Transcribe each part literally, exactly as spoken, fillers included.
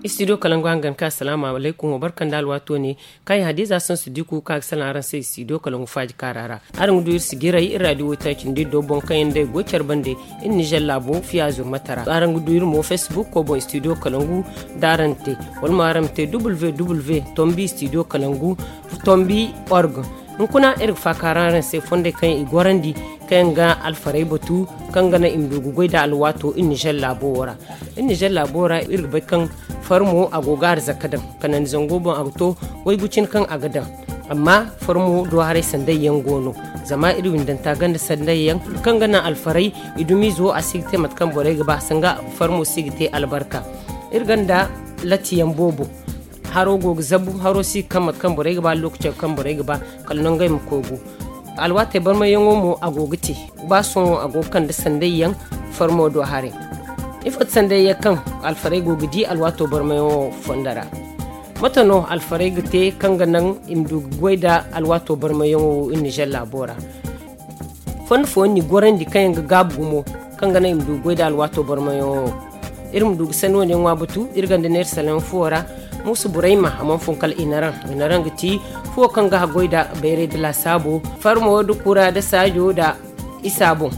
Istidiyo kalangu hangan ka asalaamu alaykum, wa barka nda alwaato ne. Kaŋ ay hadiza sansu diku ka ga salaŋ araŋ se istidiyo kalangu faaji kaara ra. Araŋ ga du iri sigiray iri raadiyo waytaaci nda iri do boŋ kaŋ yaŋ day go care bande iri nizer laabo fiya zurmata ra. Araŋ ga du iri mo facebook ko boŋ istidiyo kalangu da araŋ te, wala mo araŋ ma te www tombi istidiyo kalangu tombi org. Hunkuna iri ga faakaara araŋ se fondey kaŋ i gorandi kaŋ yaŋ ga alfarey batu kaŋ ga naŋ i ma du ga goy da alwaato iri nizer laabo wo ra. Iri nizer laabo ra iri ga bay kaŋ farmo a go ga arzaka daŋ kanandi zango boŋ a ga to waygu cine kaŋ a ga daŋ. Amma farmo do haray sanday yaŋ go no. Zama iri windanta ganda sanday yaŋ kaŋ ga naŋ alfarey i dumiizo a si ga te mate kaŋ borey ga ba sanga farmo si ga te albarka. Iri ganda latti yaŋ boobo haro go ga zabu haro si ga kaŋ mate kaŋ borey ga ba lokaco kaŋ borey ga ba kala nangey ma koy gu. Alwaatey barmayyaŋo mo a go ga te ba sohõ a go ga kande sanday yaŋ farmo do haray. Ifo ti sanday yaŋ kaŋ alfarey go ga di alwaato barmayyaŋo fondo ra? Mate no alfarey ga te kaŋ ga naŋ i ma du ga goy nda alwaato barmayyaŋo wo iri nizer laabo ra? Fondo fooyaŋ n'i gorandi kaŋ yaŋ ga gaabu gumo kaŋ ga naŋ i ma du ga goy nda alwaato barmayyaŋo wo. Iri ma du ga sanni wane ŋwa batu iri ganda neera salaŋ fuwo ra. Muusa burayma a mana fun kala inaraŋ. Inaraŋ ga ti fuwo kaŋ ga haggoy nda bayray nda laasaabo farmo nda kura nda saajo nda isa boŋ.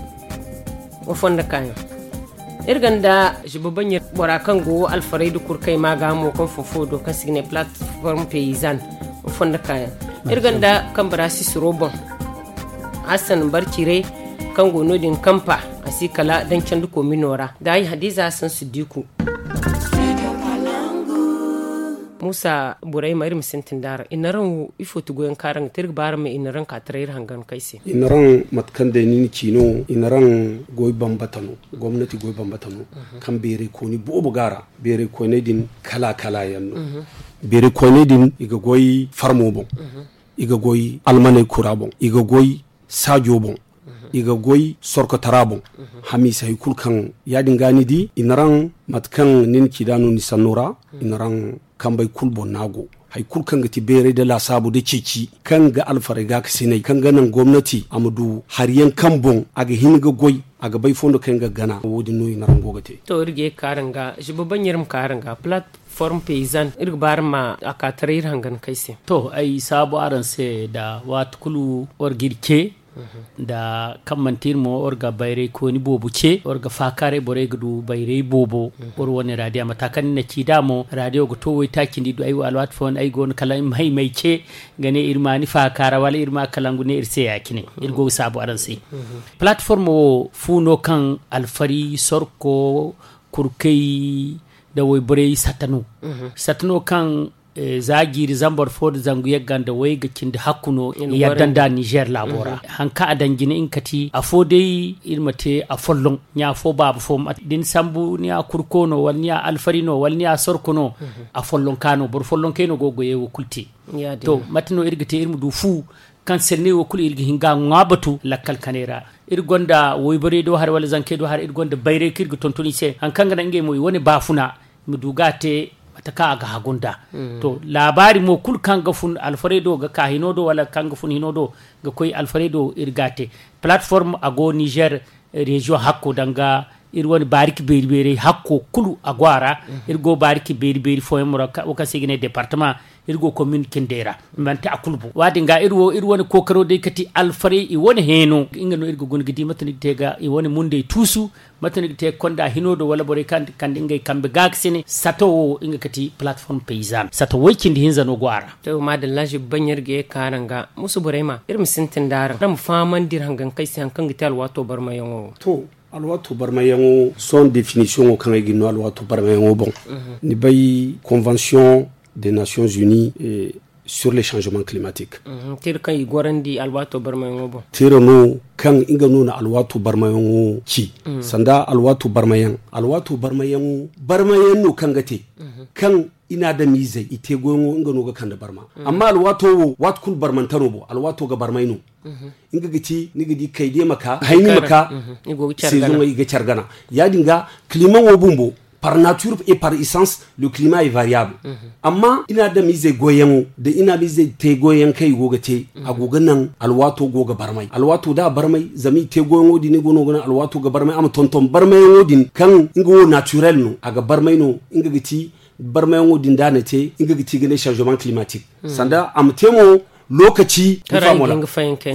Wa fondo kaayaŋ iri ganda ziba baɲir bora kaŋ go alfarey nda kurkay ma ga mo kaŋ fun fuwo do kaŋ se i ga ne platform paysan. Wa fondo kaayaŋ iri ganda kambara sisiro boŋ. Hassan barcire kaŋ go no- din kampa a si kala dancandi komino ra da ay hadiza hassan siddiku. Muusa borey ma iri ma sintin da araŋ i na raŋ wo ifo ti goyaŋ ka araŋ ga te iri ga ba araŋ ma i na raŋ ka taray iri hangan kay se. I na raŋ mate kaŋ day ni na ci no i na raŋ goy bambata no. Gomnati goy bambata no kaŋ beeray kooni boobo ga a ra. Beeray koyney din kala kala yaŋ no. Beeray koyney din i ga goy farmo boŋ. I ga goy almaney kura boŋ i ga goy saajo boŋ. I ga goy sorkotara boŋ. Hamiisa hari kulu kaŋ ya- din ga ni di i na raŋ mate kaŋ ni na ci da no ni sanno ra. I na raŋ kambey kulu boŋ no a go hari kulu kaŋ ga ti beeray nda laasaabu nda ceeci kaŋ ga alfarey gaakasinay kaŋ ga naŋ gomnati a ma du hari yaŋ kaŋ boŋ a ga hin ga goy a ga bay fondo kaŋ yaŋ ga gana wo- din no i na raŋ go ga te. To iri ga ye ga ka araŋ ga ziba baɲ iri ma ka araŋ ga plat form paysan iri ga ba araŋ ma a ka taray iri hangan kay se. To ay saabu araŋ se nda waati kulu war ga iri ce nda kaŋ manti iri mo war ga bayray kooni boobo ce war ga faakaaray borey ga du bayray boobo. War wane raadiya mata kaŋ ni na ci da mo raadiyo ga to waytaaci nda i du ay wo alwaati fooyaŋ ay go no kala ay ma hay ma ay ce ga ne iri ma ni faakaara wala iri ma kalangu ne iri se ya- cine. Iri go ga saabu araŋ se plat form wo fu no kaŋ alfari sorko kurkay nda wayborey sata no. Sata no kaŋ za jiiri zambar fo nda zangu yagga nda way ga cindi hakku no yadda nda nizer laabo ra. Haŋ kaŋ a daŋ jine nga kati afo day iri ma te afolloŋ ɲa fo baaba fo da ni sambu ni ya kurko no wala ni ya alfari no wala ni ya sorko no. Afolloŋ ka no boro folloŋ kay no go ga goyey wo kulu te. To mate no iri ga te iri ma du fu kaŋ senney wo kulu iri ga hin ga a ŋwa batu lakkal kanay ra. Iri gonda wayborey do haray wala zankey do haray iri gonda bayray kaŋ iri ga tonton i se haŋ kaŋ ga naŋ ngey mo i wane baafuna i ma du ga a te mate kaŋ a ga hagu nd'a. To laabaari mo kulu kaŋ ga fun alfarey do ga ka hino do wala kaŋ ga fun hino do ga koy alfarey do iri ga a te. Palateform a go nizer reziyoŋ hakko danga iri wane baariki beeri beerey hakko kulu a go a ra. Iri go baariki beeri beeri fooyaŋ mo ra wo kaŋ se i ga ne departama. Iri go komin cindey ra manti a kulu boŋ wo- din ga iri wo iri wane kookaro day kati alfarey i wane heeno nga no iri ga guna ga di mate no i ga te ga i wane mundey tuusu. Mate no i ga te ga konda hino do wala borey kaŋ kande ngey kambe gaakasine sato wo nga kati palateform paysan sato way cindi hinza no go a ra. To maadalla zibi baɲ iri ga ye ga ka araŋ ga muusa borey ma iri ma sintin da araŋ araŋ ma fahamandi iri hangankey se haŋ kaŋ ga te alwaato barmayaŋo wo. To alwaato barmayaŋo sohõ definisiyoŋo kaŋ ay ga ni no alwaato barmayaŋo boŋ ni bay konvansiyoŋ de nations unies sur le changement climatique. Tira kaŋ i gorandi alwaato barmayaŋo boŋ. Tira no kaŋ nga no na alwaato barmayaŋo ci sanda alwaato barmayaŋ alwaato barmayaŋo barmayaŋ no kaŋ ga te kaŋ i na adamizey i te goyaŋo nga no ga kande barma. Amma alwaato wo waati kulu barmante no boŋ alwaato ga barmay no. Nga ga ti ni ga di kayde ma ka hayni ma ka sezoŋey i ga care gana. Ya- din ga climaŋo bumbo par nature et par essence le climat est variable. Amma i na adamizey goyyaŋo da i na adamizey te goyyaŋ kaŋ i go ga te a go ga naŋ alwaato go ga barmay alwaato da a barmay zama i te goyyaŋo din i go no ga naŋ alwaato ga barmay a ma tonton barmayaŋo din kaŋ nga wo naturel no a ga barmay no. Nga ga ti Barmayaŋo din da a na te, nga ga ti ga ne changement climatique. Sanda a ma te mo, lokaci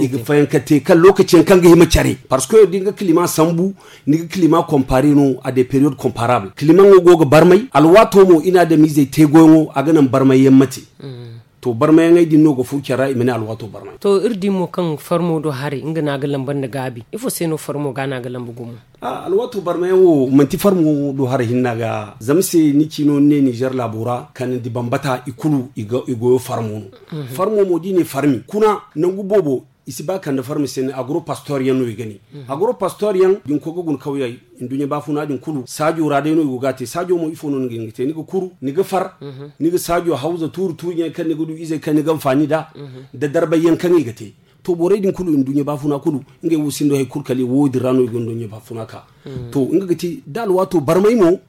i ga fayanka te kaŋ lokaci yaŋ kaŋ ga hima care, parce que da nga climat sambu, ni ga climat comparer no à des périodes comparables. Climat ŋo go ga barmay, alwaato mo i na adamizey te goyaŋo a ga naŋ barmay yaŋ ma te. To, barmayaŋey din no ga furo care ra i ma ne alwaato barmay. To, iri di mo kaŋ farmo do haray nga no a ga lamba nda gaabi. Ifo se no farmo ga no a ga lamba gumo? Alwaato barmayaŋ wo manti farmo do haray hinna ga. Zama se ni ci no ni ne nizer laabo ra kanandi bambata i kulu i goyo farmo no. Farmo mo da i ne farmi kuna nangu boobo, i si ba kande farmi se ne agropastor yaŋ no i ga ne. Agropastor yaŋ da ni koy ga guna kawyey nduɲɲa baafuna din kulu saajo ra day no i go ga a te. Saajo mo ifo no ni ga hin ga te? Ni ga kuru, ni ga far, ni ga saajo hawza tuuri tuuri ɲaŋey kaŋ ni ga du izey kaŋ ni ga anfaani nd'a, nda darbay yaŋ kaŋ i ga te. To, borey din kulu nduɲɲa baafuna kulu ngey wo sinda hari kulu kala wo din ra no i ga nduɲɲa baafuna ka. To, nga ga ti da alwaato barmay mo.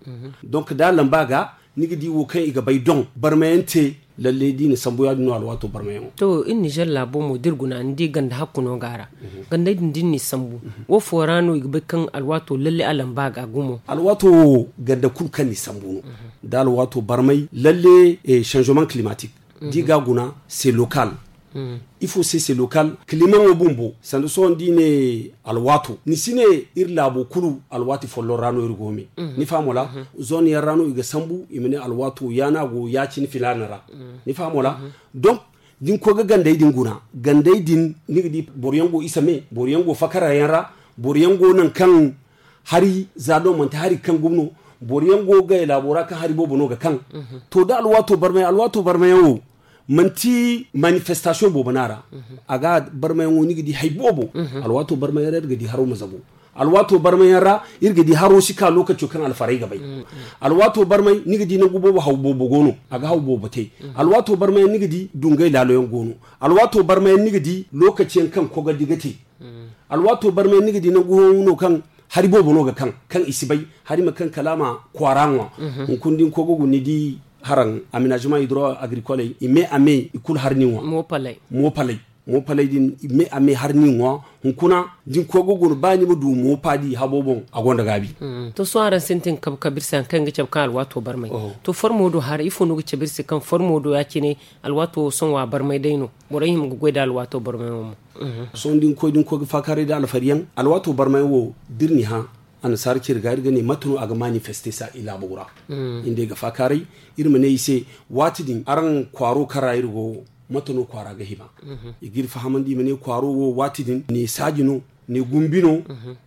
Donc da a lamba ga, ni ga di wo kaŋ i ga bay doŋ barmayaŋ te. Lalle da i na sambu ya- din no alwaato barmayaŋo. To, iri nizer laabo mo da iri guna ni di ganda hakku no go a ra. Gandey din da iri n'i sambu, wo fo ra no i ga bay kaŋ alwaato lalle a lamba ga gumo? Alwaato wo ganda kulu kaŋ ni sambu no, da alwaato barmay lalle changement climatique da i ga a guna, c'est local. Ifo se c'est local? Climat ŋo bumbo sanda sohõ da i ne alwaato, ni si ne iri laabo kulu alwaati folloŋ ra no iri go me. Ni faham wala? Zone yaŋ ra no i ga sambu i ma ne alwaato ya no a go ya- cine filaana ra. Ni faham wala? Donc da ni koy ga gandey din guna, gandey din ni ga di boro yaŋ go isa me, boro yaŋ go fakara yaŋ ra, boro yaŋ go nangu kaŋ hari za no manti hari kaŋ gumo no. Boro yaŋ go ga gay laabo ra kaŋ hari boobo no ga kaŋ. To, da alwaato barmay, alwaato barmayaŋ wo manti manifestation boobo no a ra. A ga barmayaŋo ni ga di hari boobo. Alwaato barmayaŋ ra iri ga di haro ma zabu. Alwaato barmayaŋ ra iri ga di haro si ka lokaco kaŋ alfarey ga bay. Alwaato barmay ni ga di nangu boobo haw boobo go no, a ga haw boobo te. Alwaato barmayaŋ ni ga di dungay laalo yaŋ go no. Alwaato barmayaŋ ni ga di lokaci yaŋ kaŋ kogardi ga te. Alwaato barmayaŋ ni ga di nangu hooyaŋ no kaŋ hari boobo no ga kaŋ, kaŋ i si bay. Hari ma kaŋ kala a ma kwaara ŋwa. Hunkuna da ni koy ga guna ni di haraŋ aménagement hydro agricole, i me a me i kulu hari ni ŋwa. Moopaley, moopaley din i me a me hari ni ŋwa. Hunkuna da ni koy ga guna ba ni ma du moopa di habo boŋ, a gonda gaabi. To, sohõ araŋ sintin kabe kabe iri se hari kaŋ ga cabe kaŋ alwaato barmay. To, farmo do haray ifo no ga cabe iri se kaŋ farmo do ya- cine alwaato wo sohõ a barmay day no? Borey hima ga goy nda alwaato barmayaŋo mo. Sohõ da ni koy da ni koy ga faakaaray nda alfariyaŋ, alwaato barmayaŋ wo da iri n'i hã annasaara cire ga iri ga ne mate no a ga manifeste sa i laabo ra. Iri nd'ey ga faakaaray, iri ma ne i se, waati din araŋ kwaaro kaŋ ra iri go wo, mate no kwaara ga hima? I g'iri fahamandi i ma ne kwaaro wo waati din ne saaji no, ne gumbi no,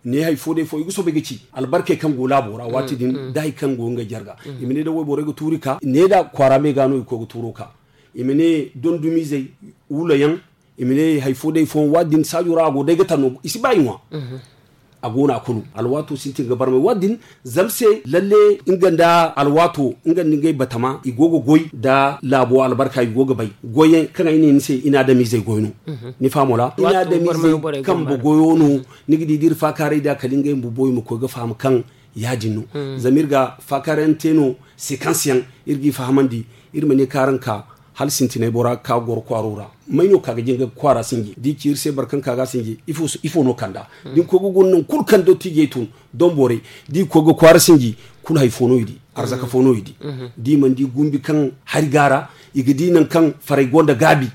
ne hari fo day fo i ga soobay ga ci albarkey kaŋ go laabo ra waati din, da hari kaŋ go ngey jarga. I ma ne da wayborey ga tuuri ka ne da kwaara me ga no i koy ga tuuro ka. I ma ne dondumizey, wula yaŋ, i ma ne hari fo day fo, waati din saajo ra a go day ga taŋ no i si ba i ŋwa. A go no a kulu alwaato sintin ga barmay waati din. Zama se lalle nga nda alwaato, nga nda ngey batama i go ga goy nda laabo albarka i go ga bay. Goyyaŋ kaŋ ay ne ni se i na adamizey goy no. Ni faham wala? I na adamizey kambe goyo no. Ni ga di da iri faakaaray da kala ngey bumbo i ma koy ga faham kaŋ ya- din no. Zama iri ga faakaaray yaŋ te no, sequence yaŋ iri g'i fahamandi. Iri ma ne kaŋ araŋ ka hala sintinay bora ka goro kwaaro ra. May no ka ga jin ga kwaara sinji? Da i ci iri se boro kaŋ ka ga sinji, ifo no kand'a? Da ni koy ga guna nangu kulu kaŋ dottijey tun, donborey, da i koy ga kwaara sinji, kulu hari fo no i di, arzaka fo no i di. Da i mana di gumbi kaŋ hari go a ra, i ga di nangu kaŋ farey gonda gaabi.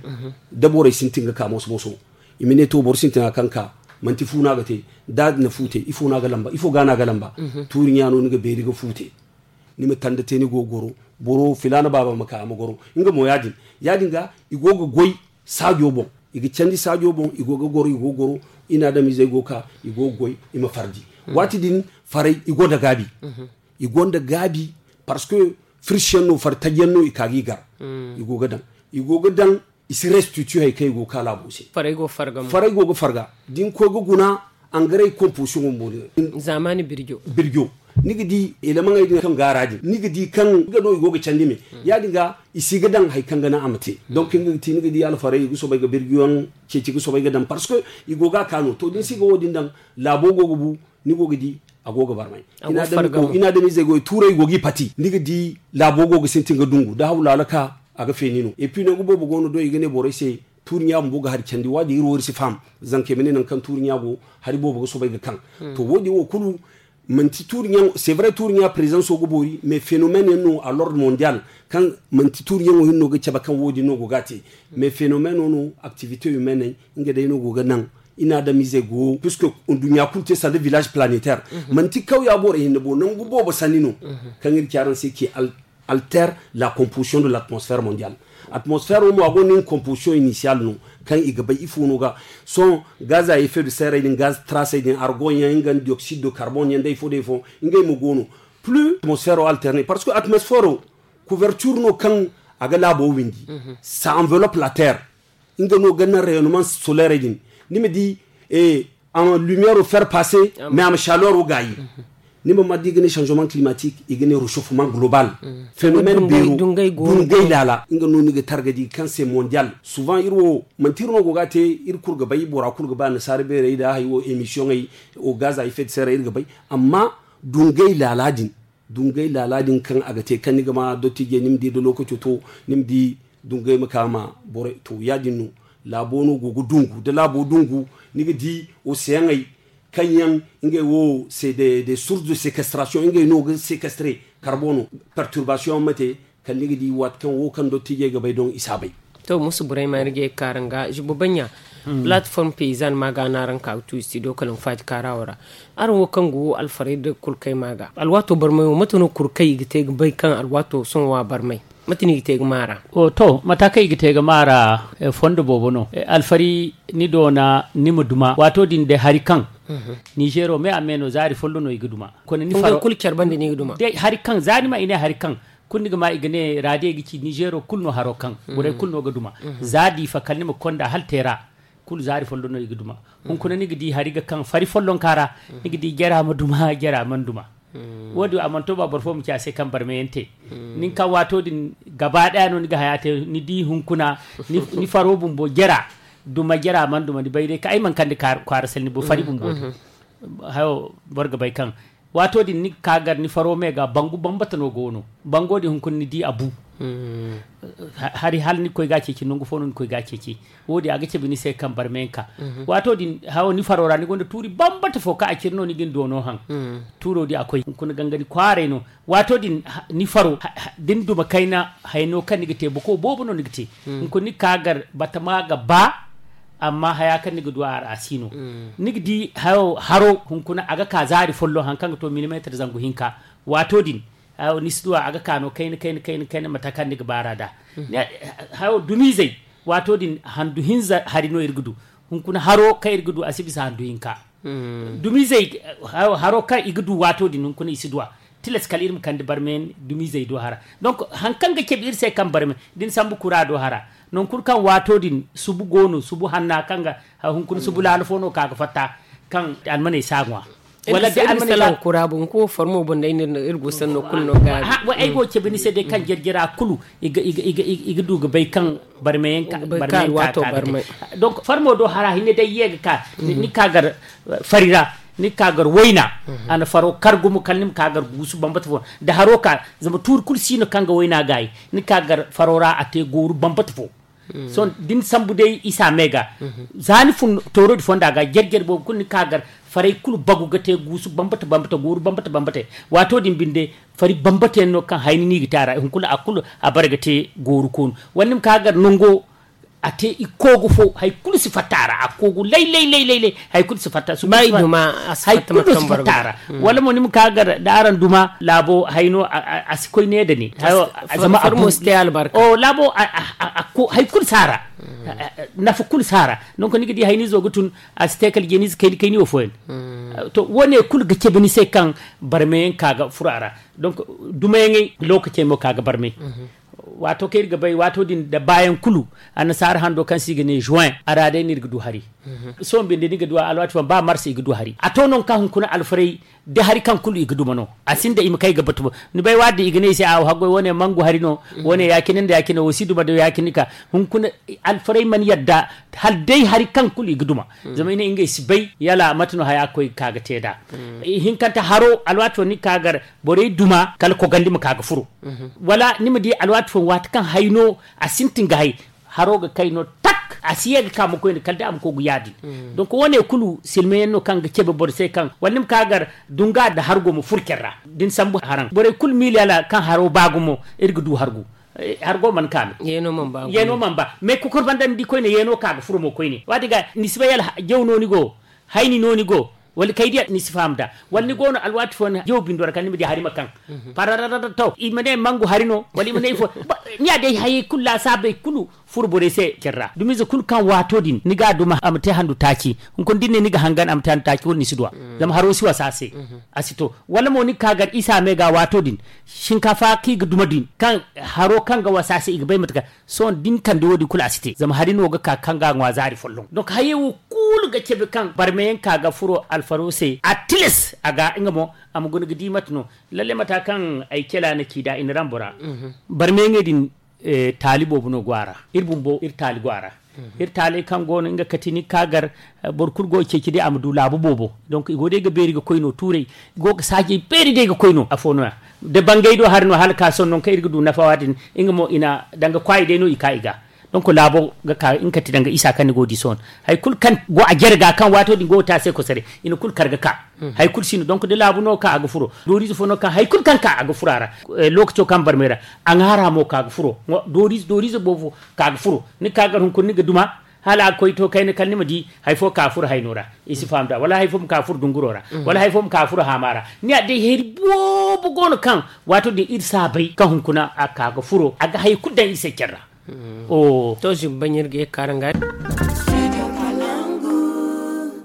Da borey sintin ga ka moso-moso, i ma ne to boro sintina kaŋ ka, manti fu no a ga te. Da a na fu te, ifo no a ga lamba? Ifo ga no a ga lamba? Tuuri ɲa no ni ga beeri ga fu te. Ni ma tanda te ni go ga goro, boro filaana baaba ma ka a ma goro. Nga mo ya- din ya- din ga i go ga goy saajo boŋ. I ga candi saajo boŋ, i go ga goro, i go ga goro. I na adamizey go ga ka, i go ga goy, i ma fardi. Waati din farey i gonda gaabi. I gonda gaabi, parce que firsi yaŋ no, fari taji yaŋ no i ka g'i gar. I go ga daŋ, i go ga daŋ. I si restituer hari kaŋ i go ga ka laabo se. Farey go ga farga. Da ni koy ga guna, angaray composition bumbo din. Zaamaani birjo. Birjo. Ni ga di elemaŋey din kaŋ go a ra din, ni ga di kaŋ nga no i go ga candi me. Ya- din ga i si ga daŋ hari kaŋ ga naŋ a ma te. Donc nga ga ti ni ga di alfarey i ga soobay ga birjo yaŋ ceeci ga soobay ga daŋ, parce que i go ga a ka no. To, da ni si ga wo- din daŋ, laabo go ga bu. Ni go ga di a go ga barmay. I na adamizey go i tuurey go g'i pati, ni ga di laabo go ga sintin ga dungu da hawlaala ka, a ga feeni no. Et puis nangu boobo go no do i ga ne borey se, tuuri ɲa bumbo ga hari candi. Waati din iri wo iri si faham. Zanka i ma ne nangu kaŋ tuuri ɲa go, hari boobo ga soobay ga kaŋ. To, wo- din wo kulu Manti tuuri ɲaŋo c'est vrai tuuri ɲa présenso ga boori mais phénomène yaŋ no à l'ordre mondial, kaŋ manti tuuri ɲaŋo hinno ga cabe kaŋ wo- din no go ga a te. Mais phénomène no activité humaine, nga day no go ga naŋ i na adamizey go puisque duɲɲa kulu te sanda village planétaire. Manti kawya borey hinne bo nangu boobo sanni no. Kaŋ iri ci araŋ se ki alter la composition de l'atmosphère mondiale. Atmosphère wo mo a gonda nga composition initiale no, kaŋ i ga bay ifo no ga son gaz à effet de serre din, gaz trace din, argon yaŋ nga dioxyde de carbone yaŋ day fo day fo. Ngey mo go no plus atmosphère wo alterne parce que atmosphère wo couverture no kaŋ a ga laabo windi. Ça enveloppe la terre. Nga no ga naŋ rayonnement solaire din. Ni ma di en lumière o faire passer mais a ma chaleur o gaayi. Ni ma ma di i ga ne changement climatique, i ga ne réchauffement global. Phénomène beero dungay laala nga no ni ga targa di kaŋ se mondial. Souvent iri wo manti iri no go ga te. Iri kulu ga bay bora kulu ga ba nasaara beerey da hay wo émission ay o gaz à effet de serre iri ga bay. Amma dungay laala din dungay laala din kaŋ a ga te kaŋ ni ga ma dottijey ni ma di da lokaco to, ni ma di dungay ma ka ma borey to ya- din no. Laabo no go ga dungu da laabo dungu, ni ga di oceaney kaŋ yaŋ ngey wo c'est des sources de séquestration, ngey no ga séquestrer carbone. Perturbation yaŋ ma te kala ni ga di waati kaŋ wo kaŋ dottijey ga bay doŋ i si a bay. To musu burayma ni ga ye ga kaara nga zuba baɲɲa. Plateforme paysanne ma ga no araŋ ka ga tu studio kala nga faati kaarawo ra. Araŋ wo kaŋ go alfaray da kurkay ma ga alwaato barmay wo mate no kurkay i ga te ga bay kaŋ alwaato sohõ wa barmay? Mate no i ga te ga maara? To mata kaŋ i ga te ga maara fondo boobo no. Alfari ni doona ni ma duma waato din day hari kaŋ nizeero me a me no zaari follo no i ga duma. Kulu care banda no i ga duma. Hari kaŋ za ni ma i ne hari kaŋ kulu ni ga ma i ga ne raadiyey ga ci nizeero kulu no haro kaŋ borey kulu no ga duma. Za diifa kala ni ma konda hala teera kulu zaari follo no i ga duma. Hunkuna ni ga di hari ga kaŋ fari follonka ra ni ga di jara ma duma jara mana duma. Wo- din a mana to ba boro fo ma ci a se kaŋ barmayaŋ te. Nin ka waato din gaba daya no ni ga haya te ni di hunkuna ni faro bumbo jara duma jara mana duma ni bay day ka ay mana kande kwaara salni bo fari bumbo din. Hayo boro ga bay kaŋ waato din ni ga ka gar ni faro me ga bangu bambata no go no. Bango din hunkuna ni di a bu hari hala ni koy ga ceeci nangu fo no ni koy ga ceeci. Wo- din a ga cabe ni se kaŋ barmayaŋ ka waato din hayo ni faro ra ni gonda tuuri bambata fo kaŋ a ciri no ni ga ni doono haŋ. Tuuro din a koy hunkuna gangari kwaaray no. Waato din ni faro da ni duma kayna hayno kaŋ ni ga te boko boobo no ni ga te. Hunkuna ni ga ka gar batama ga ba amma haya kaŋ ni ga du a ra a si no. Ni ga di hayo haro hunkuna a ga ka zaari folloŋ haŋ kaŋ ga to milimeetir zangu hinka. Waato din ni si du a ga ka no kayna kayna kayna kayna mata kaŋ ni ga baara nd'a. Hayo dumiizey waato din handu hinza hari no iri ga du. Hunkuna haro kaŋ iri ga du a si bisa handu hinka. Dumiizey haro kaŋ i ga du waato din hunkuna i si du a. Tilas kala iri ma kande barmayaŋ dumiizey do hara. Donk hari kaŋ ga cabe iri se kaŋ barmay da ni sambu kura do hara. Nangu kulu kaŋ waato din subu go no subu hanna kaŋ ga hunkuna subu laala fo no ka ga fatta kaŋ almaney si a ŋwa. Wala da almaney si a ŋwa kura boŋ ko farmo boŋ day iri go sanno kulu no ga ay go cabe ni se day kaŋ jarjara kulu i ga du ga bay kaŋ barmayaŋ ka ga te. Donc farmo do hara hinne day ye ga ka ni ka gar fari ra ni ka gar wayna. A na faro kar gumo kala ni ma ka gar guusu bambata fo da haro ka zama tuuri kulu si no kaŋ ga wayna gaayi ni ka gar faro ra a te gooru bambata fo. Sohõ da ni sambu day isa me ga za ni fun toorodi fonda ga jare-jare boobo kulu ni ka gar faray kulu bagu ga te guusu bambata bambata gooru bambata bambata. Waato din binde fari bambata yaŋ no kaŋ hayni no i ga te a ra hunkuna a kulu a bare ga te gooru koonu wala ni ma ka gar nango a te i koogu fo hari kulu si fatta a ra a koogu lay lay lay lay hari kulu si fatta a ra. Wala mo ni ma ka gar da araŋ duma laabo hayno a si koy ne da ne. Zama a koogu laabo hari kulu si a ra. Nafa kulu si a ra. Donk ni ga di hayniizo ga tun a si te kala jeeniize kayni kayni wo fooyaŋ. To wo- ne kulu ga cabe ni se kaŋ barmayaŋ ka ga furo a ra. Donk dumayaŋey lookacey mo ka ga barmay. Waato kaŋ iri ga bay waato din da baayaŋ kulu annasaara hando kaŋ se i ga ne juin a ra day no iri ga du hari. Sohõ binde ni ga du a alwaati fooyaŋ ba mars i ga du hari a to nangu kaŋ hunkuna alfaray da hari kaŋ kulu i ga duma no. A sinda i ma kay ga batu boŋ ni bay waati din i ga ne i se a haggoy wo- ne mangu hari no. Wo- ne ya- cine nda ya- cine wo si duma da ya- cine ka hunkuna alfaray mana yadda hala day hari kaŋ kulu i ga duma. Zama i ne ngey si bay yala mate no haya ga koy ga ka ga te nd'a. Hinkante haro alwaati fooyaŋ ni ga ka gar borey duma kala kogandi ma ka ga furo. Wala ni ma di alwaati fooyaŋ waati kaŋ hayno a sintin ga hay haro ga kay no tak. A si ye ga ka mo koyne kala da a ma koy ga yaadin. Donc wo- ne kulu silmayaŋ no kaŋ ga cabe boro se kaŋ wala ni ma ka gar dunga nda hargo ma furo care ra da ni sambu haraŋ borey kulu miila kaŋ haro ba gumo. Iri ga du hargo mana ka me. Yeeno mana ba mais kokor banda ni di koyne yeeno ka ga furo mo koyne waati ga ni si bay yala jaw no ni go hayni no ni go wala kay diya ni si faham da wala ni go no alwaati fo ni jaw bindo ra kala ni ma di hari ma kaŋ parararara to i ma ne mangu hari no wala i ma ne ifo. Ni ya day hayey kulu laasaabey kulu furo borey se care ra dumiize kulu kaŋ waato din ni ga a duma a ma te handu taaci hunkuna da ni ne ni ga hangan a ma te handu taaci kulu ni si duwa. Zama haro si wasa a se a si to wala mo ni ga ka gar isa me ga waato din shinkafa kaŋ i ga duma din kaŋ haro kaŋ ga wasa a se i ga bay mate kaŋ sohõ da ni kande wo- din kulu a si te zama hari no ga ka kaŋ ga a ŋwa zaari folloŋ donc hayey wo kulu ga cabe kaŋ barmayaŋ ka ga furo alfaro se a tilas a ga nga mo a ma guna ga di mate no. Lalle mata kaŋ ay cela na ci da i na rambo ra barmayaŋey din taali boobo no go a ra. Iri bumbo iri taali go a ra. Iri taaley kaŋ go no nga kati ni ga ka gar boro kulu go ga ceeci day a ma du laabu boobo. Donc i go day ga beeri ga koy no tuurey i go ga saajey beeri day ga koy no afo no- ya da bangay do hari no hala ka sohõ nangu kaŋ iri ga du nafa waati din nga mo i na danga kwaayi day no i ka i ga. Donc laabo ga ka nga kati danga isa kaŋ ni go ga di sohõ hari kulu kaŋ go a jare ga kaŋ waato din go ga te a se kosaray i na kulu kar ga ka. Hari kulu si no donc da laabu no ka a ga furo dooriize fo no ka hari kulu kaŋ ka a ga furo a ra. Lookaco kaŋ barmay ra a ŋaara mo ka ga furo dooriize dooriize boobo ka ga furo ni ga ka gar hunkuna ni ga duma hala a ga koy to kayna kala ni ma di hari fo ka furo hayno ra. I si faham da wala hari fo ma ka furo dunguro ra wala hari fo ma ka furo haama ra. Ni ya day hari boobo go no kaŋ waato din iri si a bay kaŋ hunkuna a ka ga furo a ga hari kulu daŋ iri se care ra. To zumbaɲ iri ga ye ga kaara nga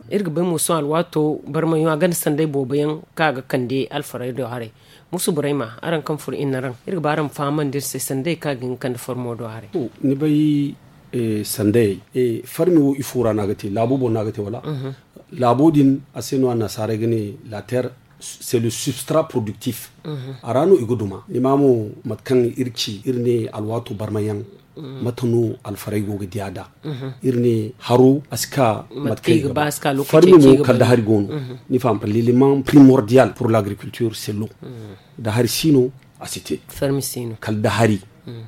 iri ga bay mo sohõ alwaato barmayaŋo a ganda sanday boobo yaŋ kaŋ a ga kande alfaray do haray. Musu burayma araŋ kaŋ furo iri na araŋ iri ga ba araŋ ma fahamandi iri se sanday kaŋ a ga hin ga kande farmo do haray. Ni bay sandayey farmi wo ifo ra no a ga te laabo boŋ no a ga te wala? Laabo din a se no annasaarey ga ne la terre c'est le substrat productif. A ra no i ga duma ni ma mo mate kaŋ iri ci iri ne alwaato barmayaŋ mate no alfaray go ga diya da. Iri ne haro a si ka mate kaŋ i ga ba farmi mo kala da hari go no. Ni faham l'élément primordial pour l'agriculture c'est l'eau. Da hari si no a si te. Kala da hari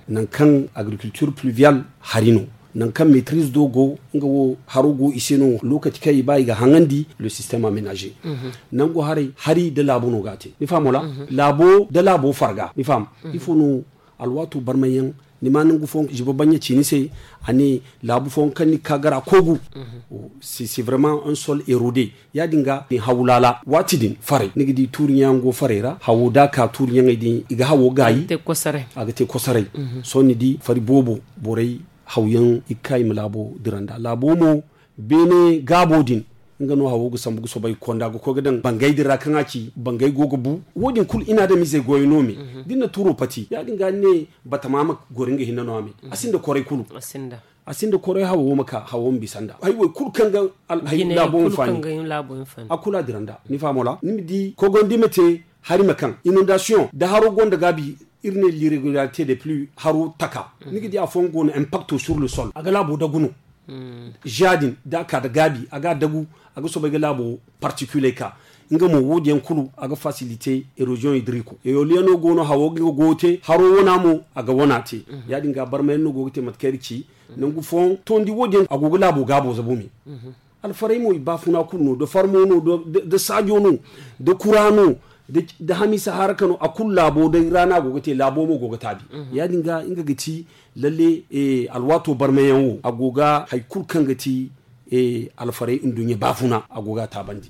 nangu kaŋ agriculture pluviale hari no nangu kaŋ maîtrise do go nga wo haro go i se no lokaci kaŋ i ba i ga haŋandi le système aménagé. Nangu haray hari da laabo no ga a te ni faham wala? Laabo da laabo farga ni faham? Ifo no alwaato barmayaŋ ni ma nangu fooyaŋ ziba baɲɲa ci ni se. A ne laabu fooyaŋ kaŋ ni ga ka gar a koogu c'est vraiment un sol érodé. Ya- din ga ni haw laala waati din faray ni ga di tuuriɲaŋ go faray ra hawo da a ka tuuriɲaŋey din i ga hawo gaayi a ga te kosaray. Sohõ ni di fari boobo borey hawyaŋ i ga ka i ma laabo dira nd'a laabo mo beene gaabo din nga no hawo ga sambu ga soobay ga konda ga koy ga daŋ bangay din ra kaŋ a ci bangay go ga bu. Wo- din kulu i na adamizey goyo no me da ni na tuuro pati ya- din ga ni ne batama ma goro nga hinne no a me a sinda koray kulu. A sinda koray hawo ma ka hawo ma bisa nda hay wo kulu kaŋ ga laabo ma faani a kulu a dira nda ni faham wala ni ma di kogondi ma te hari ma kaŋ inondation da haro gonda gaabi. Iri ne l'irrégularité des pluies haro taka ni ga di afooyaŋ go no impacto sur le sol a ga laabo dagu no. Za- din da a ka da gaabi a ga a dagu a ga soobay ga laabo particules ka nga mo wo- din yaŋ kulu a ga facilité érosion hydrique. Éolienno go no hawo ga nga goyo te haro wana mo a ga wana te. Ya- din ga barmayaŋ no go ga te mate kaŋ iri ci nangu fooyaŋ tondi wo- din yaŋ a go ga laabo gaabo zabu me. Alfaray mo i baafuna kulu no da farmo no da saajo no da kura no da hamiisa haraka no a kulu laabo day ra no a go ga te laabo mo go ga taabi. Ya- din ga nga ga ci lalle alwaato barmayaŋ wo a go ga hari kulu kaŋ ga ti alfaray nduɲɲa baafuna a go ga a taabandi.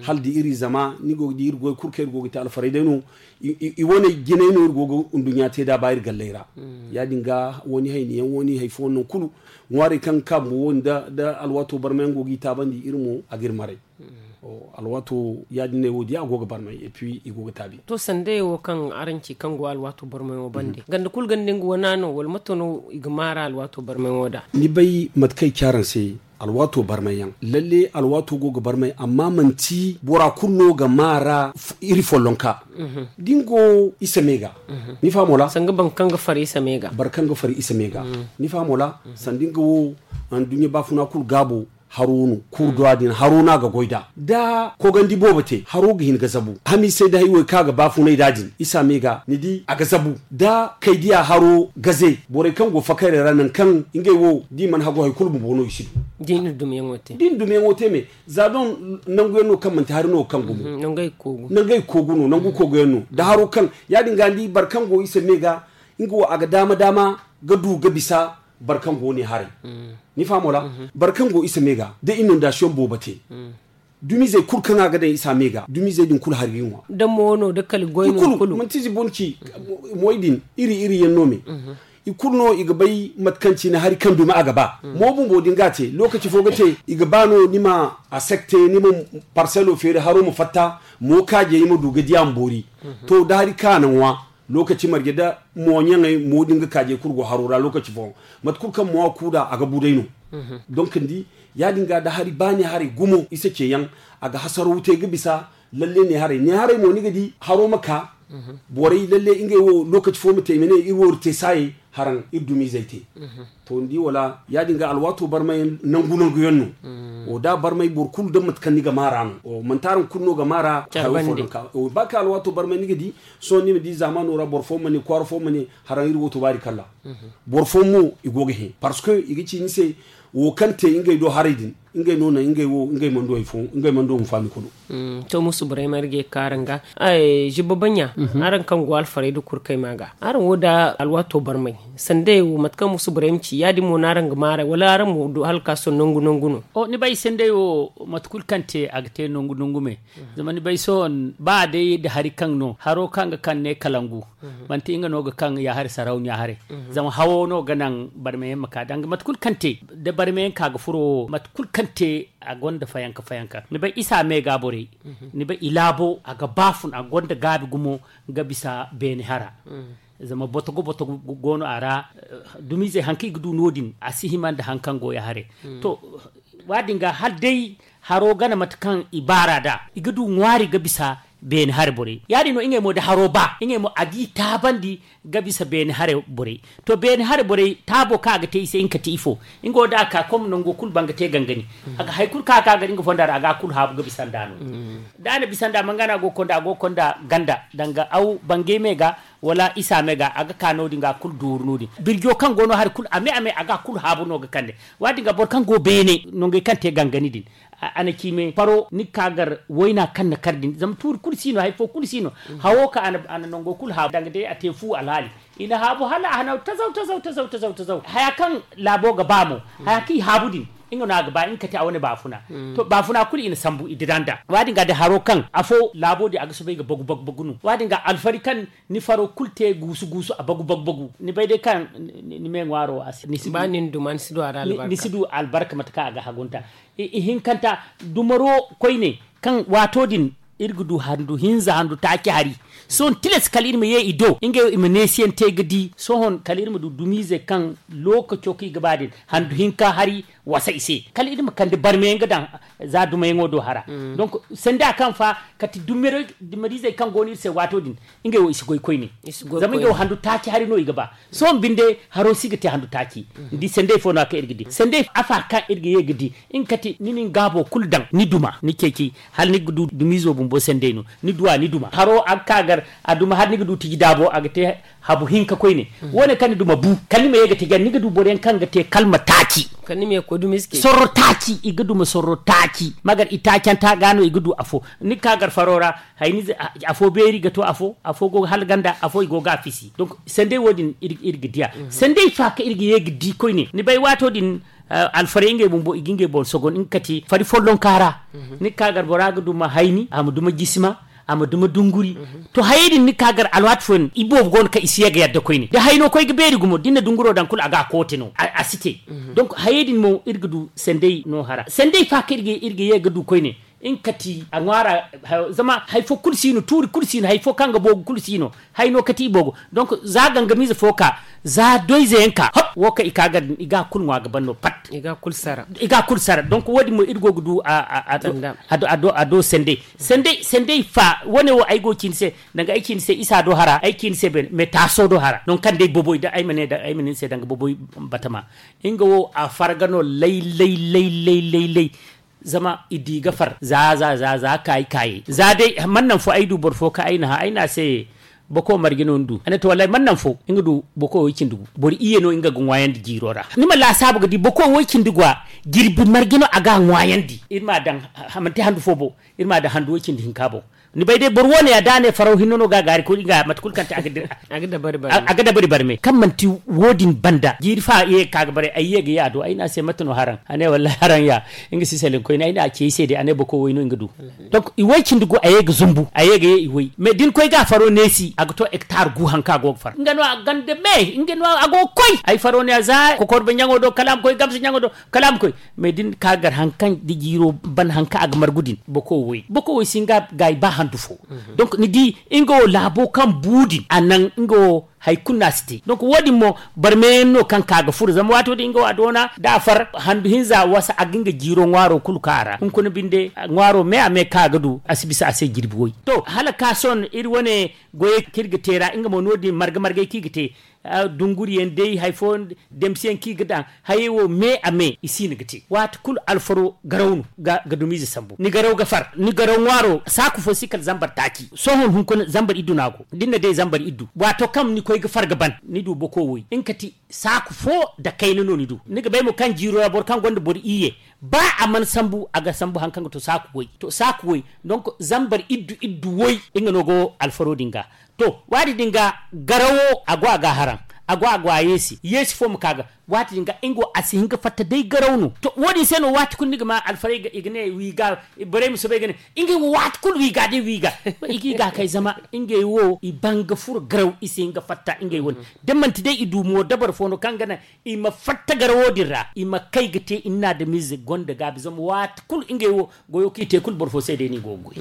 Hala da iri zama ni go ga di iri goy kulu kaŋ iri go ga te alfaray day no i wane jinay no iri go ga nduɲɲa te da ba iri galley ra. Ya- din ga wani hayni yaŋ wani hari fooyaŋ no kulu ŋwaarey kaŋ ga ka bumbo wo- din da alwaato barmayaŋ go ga i taabandi iri mo a ga iri maray. Alwaato ya- din ne wo- din a go ga barmay et puis i go ga taabi. To sandayey wo kaŋ araŋ ci kaŋ go alwaato barmayaŋo bande ganda kulu ganda nga wana no wala mate no i ga maara alwaato barmayaŋo da? Ni bay mate kaŋ ay ci araŋ se alwaato barmay yaŋ lalle alwaato go ga barmay amma manti bora kulu no ga maara iri follonka. Da ni go isa me ga ni faham wala? Sanga boro kaŋ ga far isa me ga boro kaŋ ga far isa me ga ni faham wala? Sanda nga wo anduɲɲa baafuna kulu gaabo haro no, kurduwa din haro no a ga goy nd'a. Da kogandi boobo te, haro ga hin ga zabu. Hamisey da haywey kaŋ a ga baafunay nd'a din, isa me ga, ni di, a ga zabu. Da kaydiya haro gaze, borey kaŋ go fakayrey ra, nangu kaŋ ngey wo, da i mana hagu, hari kulu bumbo no i si du. Da i na dumiyaŋo te me, za doŋ nangu yaŋ no kaŋ manti hari no kaŋ gumo. Nangu ay koogu no, nangu koogu yaŋ no. Da haro kaŋ, ya-din ga ni di, boro kaŋ go isa me ga, nga wo a ga daama-daama ga du ga bisa boro kaŋ go ne haray. Ni faham wala? Boro kaŋ go isa me ga, da inondasiyoŋ boobo te, dumizey kulu kaŋ a ga daŋ isa me ga, dumizey din kulu hari ga i ŋwa. Da mo no, da kala goy no kulu, manti zibo ni ci. Moy din, iri iri yaŋ no me. I kulu no i ga bay mate kaŋ cine hari kaŋ dumi a ga ba. Mo bumbo din ga a te, lokaci fo ga te, i ga ba no ni ma a sekte, ni ma parselo feeri, haro ma fatta, mo kaajey ma du ga di a ma boori. To, da hari kaŋ a na ŋwa, lokaci marje da mo ɲaŋey, mo din ga kaajey kulu go haro ra lokaci fooyaŋ. Mate kulu kaŋ mo a ku nd'a, a ga bu day no. Donk ni di, ya-din ga da hari ba ne haray gumo isa ce yaŋ, a ga hasaraw te ga bisa. Lalle ne haray, ne haray mo ni ga di haro ma ka. Borey lalle ngey wo lokaci fo ma te i ma ne iri wo iri te saayey, haraŋ iri dumizey te. To ni di wala, ya-din ga alwaato barmay nangu-nangu yaŋ no. Da a barmay boro kulu da mate kaŋ ni ga maara no. Manti araŋ kulu no ga maara hayo fo naŋ ka, ba kaŋ alwaato barmay ni ga di, sohõ ni ma di zaamaano ra boro fo ma ne, kwaara fo ma ne, haraŋ iri wo to baari kalla. Boro fo mo i go ga hẽ, parce que i ga ci ni se, wo kaŋ te ngey do haray din, ngey no naŋ ngey wo, ngey mana du hari fo, ngey mana du huŋfaani kulu. To musu borey ma iri ga ye ga ka araŋ ga. Zibba baɲa, araŋ kaŋ go alfarey da kurkey ma ga, araŋ wo da alwaato barmay, sanday wo mate kaŋ musu borey ma ci, ya-din mo no araŋ ga maarey, wala araŋ mo du hala ga ka sohõ nangu-nangu no? Ni bay sanday wo, mate kulu kaŋ te a ga te nangu-nangu me. Zama ni bay sohõ, ba day da hari kaŋ no, haro kaŋ ga kaŋ ne kalangu, manti nga no ga kaŋ ya hari sarauniya haray. Zama hawo no ga naŋ barmayaŋ ma ka, danga mate kulu kaŋ te, da barmayaŋ ka ga furo wo, mate kulu kaŋ te, a gonda fayanka-fayanka. Ni bay isa me ga borey, ni bay i laabo, a ga baafun, a gonda gaabi gumo ga bisa beene hara. Zama botogo-botogo go no a ra, dumizey haŋ kaŋ i ga du no-din, a si hima nda haŋ kaŋ go ya haray. To, wa-din ga hala day haro gana mate kaŋ i baara nd'a, i ga du ŋwaari ga bisa beene haray borey. Ya-din no ngey mo da haro ba, ngey mo a g'i taabandi ga bisa beene haray borey. To, beene haray borey taabo kaŋ a ga te i se, nga ka ti ifo? Nga wo da a ka, comme nango kulu banga te gangani, a ga hari kulu kaŋ a ka ga nga fonda ra, a ga a kulu haabu ga bisa nd'a no. Da a na bisa nd'a, manga no a go ga konda, a go ga konda ganda, danga aw bangay me ga, wala isa me ga, a ga ka no-din ga a kulu dooru no-din. Birjo kaŋ go no hari kulu, a me, a me, a ga a kulu haabu no ga kande. Wa-din ga boro kaŋ go beene, nangey kaŋ te gangani din, a na ci me faro, ni ga ka gar wayna kaŋ na kar din, zama tuuri kulu si no, hari fo kulu si no. Hawo ka a na nango kulu haabu, danga day a te fu alhaali. I na haabu hala a hanaw tazaw, tazaw, tazaw, tazaw, tazaw. Haya kaŋ laabo ga ba mo, haya kaŋ i haabu din, nga no a ga ba, nga ka ti a wane baafuna. To, baafuna kulu i na sambu, i dira nd'a. Wa-din ga da haro kaŋ afo laabo din a ga soobay ga bagu, bagu, bagu no. Wa-din ga alfari kaŋ ni faro kulu te guusu-guusu, a bagu-bagu-bagu. Ni bay day kaŋ ni, ni, ni me ŋwaaro a si, ni si du, ba ni na duma, ni si du a ra albarka. Ni, ni si du albarka mate kaŋ a ga hagu nda. I, ihinkanta, dumaro koyne, kaŋ waato din, iri ga du handu hinza, handu taaci hari. Sohõ tilas kala iri ma ye i do, ngey i ma neesiyaŋ te ga di. Sohõ kala iri ma du dumizey kaŋ lookaco kaŋ i ga ba din, handu hinka hari, wasa i se. Kala iri ma kande barmayaŋ ga daŋ za dumayaŋo do hara. Donc, sanda kaŋ fa, kati dumir-, dumirizey kaŋ go no iri se waato din, ngey wo i si goy koyne. Zama ngey wo handu taaci hari no i ga ba. Sohõ binde, haro si ga te handu taaci. Ni di sandey fo no-ya kaŋ iri ga di. Sandey afa kaŋ iri ga ye ga di, nga kati ni na ni gaabo kulu daŋ, ni duma, ni ceeci, hala ni ga du dumizo bumbo sandey no. Ni duwa, ni duma. Haro a ga ka gar, a duma hala ni ga du tiji daabo, a ga te habu hinka koyne. Wo-ne kaŋ ni duma bu, kala ni ma ye ga tiji, ni ga du boroyaŋ kaŋ ga te kalma taaci. Kala ni ma ye ga koy dumi ize. Sorro taaci, i ga duma sorro taaci. Ma gar i taacanta ga no i ga du afo. Ni ga ka gar faro ra, hay ni ze-, a-, afo beeri ga to afo, afo go ga hala ganda, afo i go ga a fisi. Donc, sandey wo-din iri, iri ga diya. Sandey fa kaŋ iri ga ye ga di koyne. Ni bay waato din, eh, alfarey ngey bumbo, i ga ngey boŋ sogon, nga kati fari follonka ra. Ni ga ka gar bora ga duma hayni, a ma duma jisima, a ma duma dunguri. To, hayey din ni ga ka gar alwaati fooyaŋ, i boobo go no kaŋ i si ye ga yadda koyne. Da hayno koy ga beeri gumo, da ni na dunguro daŋ kulu, a ga a koote no. A, a si te. Donc, hayey din mo, iri ga du sandey no hara. Sandey fa kaŋ iri ga, iri ga ye ga du koyne. Nga kati a ŋwaara. Zama hari fo kulu si no tuuri kulu si no hari fo kaŋ ga boogu kulu si no. Hari no kati i boogo. Donk za gangamiize fo ka za doyze yaŋ ka hop wo kaŋ i ka ga din i ga kulu ŋwa ga ban no pat. I ga kulu sara. Donk wo- din mo iri go ga du a do sendey. Sendey fa wane wo ay go ga ci ni se. Danga ay ci ni se isa do hara ay ci ni se beene mais taaso do hara nangu kaŋ day boboy da ay ma ne ni se danga boboy batama. Nga wo a farga no lay lay lay lay lay. Zama i di ga far za za za za kaayi kaayey za day man naŋ fo ay du boro fo kaŋ ay na hã ay ne a se. Boko marje no ni du a ne to wallahi man naŋ fo nga du boko way cindi gu. Boro iyye no nga ga ŋwaayandi jiiro ra ni ma laasaabu ga di boko way cindi gu a. Jirbi marje no a ga a ŋwaayandi iri ma a daŋ. Manti handu fo boŋ iri ma a daŋ handu way cindi hinka boŋ. Ni bay day boro wo- ne ya da a ne faraw hinne no ga a gaari koy nga mate kulu kaŋ te a ga dabari barme kaŋ manti wo- din banda jiiri fa ye ga ka ga bare ay ye ga ye a do ay ne a se mate no haraŋ a ne wallahi haraŋ ya. Nga si selaŋ koyne ay ne a ce ay se day a ne boko way no nga du. Donk i way cindi gu a ye ga zumbu a ye ga ye i way mais da ni koy ga a faro neesi a ga to hektar gu haŋ kaŋ a go ga far nga no a ganda me nga no a go ga koy ay faro ne a za kokorba ɲaŋo do kala a ma koy gamsa ɲaŋo do kala a ma koy. Mais da ni ka gar haŋ kaŋ da jiiro ban haŋ kaŋ a ga margu din boko way boko way si nga gaayi ba handu fo. Donk ni di nga wo laabo kaŋ bu din a naŋ nga wo hari kulu no a si te donk wo- din mo barmeyaŋ no kaŋ ka ga furo zama waato din nga wo a doona da a far handu hinza wasa a ga nga jiiro ŋwaaro kulu ka a ra hunkuna binde ŋwaaro me a me kaŋ a ga du a si bisa a se jirbi way. To hala ka sohõ iri wane goyey kaŋ iri ga te ra nga mo no- din marga margay kaŋ i ga te dunguriyaŋ day hari fooyaŋ damsiyaŋ kaŋ i ga daŋ hayey wo me a me i si no ga te waati kulu alfaro garaw no ga dumiize sambu ni garaw ga far ni garaw ŋwaaro saaku fo si kala zambar taaci sohõ hunkuna zambar iddu no a go da ni na day zambar iddu waato kaŋ ni koy ga far ga ban ni du boko woy nga kati saaku fo nda kayna no ni du ni ga bay mo kaŋ jiiro ra boro kaŋ gonda boro iyye ba a mana sambu a ga sambu hari kaŋ ga to saaku woy to saaku woy donk zambar iddu iddu woy nga no go alfaro din ga. To waati din ga garawo a go a ga a haraŋ a go a go a yeesi yeesi fo ma ka ga waati din ga nga wo a si hin ga fatta day garaw no to wo- din se no waati kulu ni ga ma alfarey ga i ga ne wiiga borey ma soobay ga ne ngey wo waati kulu wiiga day wiiga i ga i ga kay zama ngey wo i ban ga furo garaw i si hin ga fatta ngey wane da manti day i du mo dabari fo no kaŋ ga naŋ i ma fatta garawo din ra i ma kay ga te i na adamize gonda gaabi zama waati kulu ngey wo goyo kaŋ i te kulu boro fo se day no i go ga goy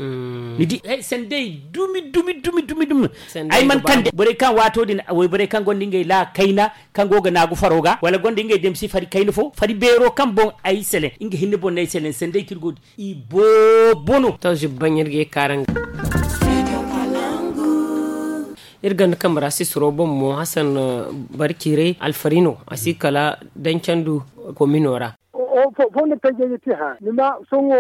ni di sandey dumi dumi dumi dumi dumi ay mana kande borey kaŋ waato din wayborey kaŋ gonda ngey laa kayna kaŋ go ga naagu faro ga wala gonda ngey damsi fari kayna fo fari beero kaŋ boŋ ay seleŋ nga hinne boŋ no ay seleŋ sandey kaŋ iri go din i boobo no to zibbaŋ iri ga ye kaaraŋ ga iri ganda kambe ra sisiro boŋ mo hasan barciiray alfari no a si kala dancandu komino ra fondo tajey ga ti hã ni ma sohõ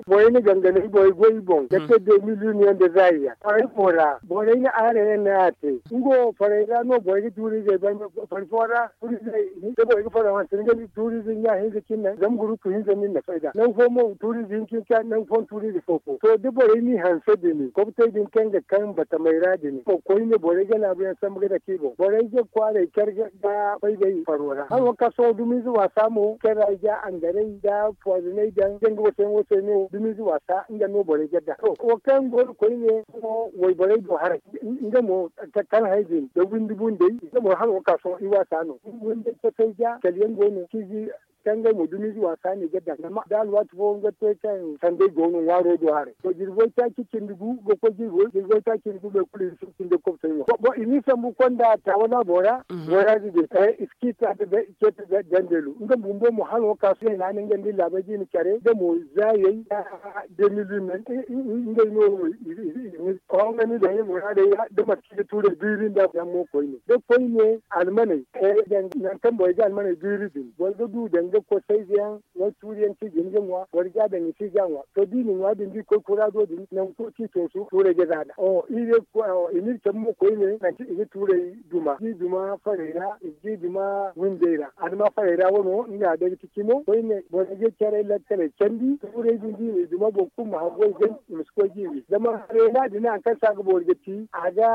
borey na ganganay borey goy boŋ ga te de miliyoniyaŋ nda zaayi yaŋ farey fo ra borey na aarayaŋ no a te nga wo farey ra no borey ga tuuri izey banda fari fo ra tuuri izey da borey ga faro hanse ni ga ni tuuri ize ɲa hinza cine zama gurupu hinza no ni na fayda nangu fo mo tuuri ize hinka hinka nangu fo tuuri ize fo fo to da borey n'i hanse din kobtey din kaŋ ga kaŋ batamey ra din koyne borey ga naabuyaŋ sambu ga dake i boŋ borey ga kwaaray care ga fayday faro ra haro ka sohõ dumiize waasa mo care ra i ga angaray da pooziney daŋ da nga wasa yaŋ wo se no dumiize waasa nga no borey ga daŋ to wo kaŋ go no koyne sohõ wayborey do haray nga mo kala hay din da windi bundey nga mo haro ka sohõ i waasa no windi kosay ga kala yaŋ go no ciizi kaŋ ngey mo dumiize waasa no i ga daŋ zama da alwaati fo nga te kaŋ sanday go no ŋwaaro do haray to jirbi way taaci cindi gu ga koy jirbi way taaci cindi gu boro kulu i si cindi kobtey ŋwa bon i n'i sambu konda taawana bora bora ga gay iskita da ceeta dandeelu nga bumbo mo hano ka sohõ i na ni nga nda laabay da i na care nga mo zaayey da demilumen ngey no i ni honga ni daŋ i muraadey ra da mate kaŋ i ga tuurey biiri nda yaŋ mo koyne da koyne almaney nangu kaŋ borey ga almaney biiri din boro ga du danga kosayze yaŋ wala tuuri yaŋ kaŋ i ga hin ga ŋwa boro ga a daŋ i si ga a ŋwa to da i na ŋwa din da i koy kuraado din nangu kulu kaŋ i toosu tuurey ga za nd'a iri cabe mo koyne nangu kaŋ i ga tuurey duma da i duma farey ra i ga i duma windey ra a duma farey ra wano nga day ga ti cimo koyne borey ga caray lakkaley candi tuurey din da i na i duma boro kulu ma haggoy ga i ma si koy ga i wi zama farey ra din nangu kaŋ se a ga boori ga ti a ga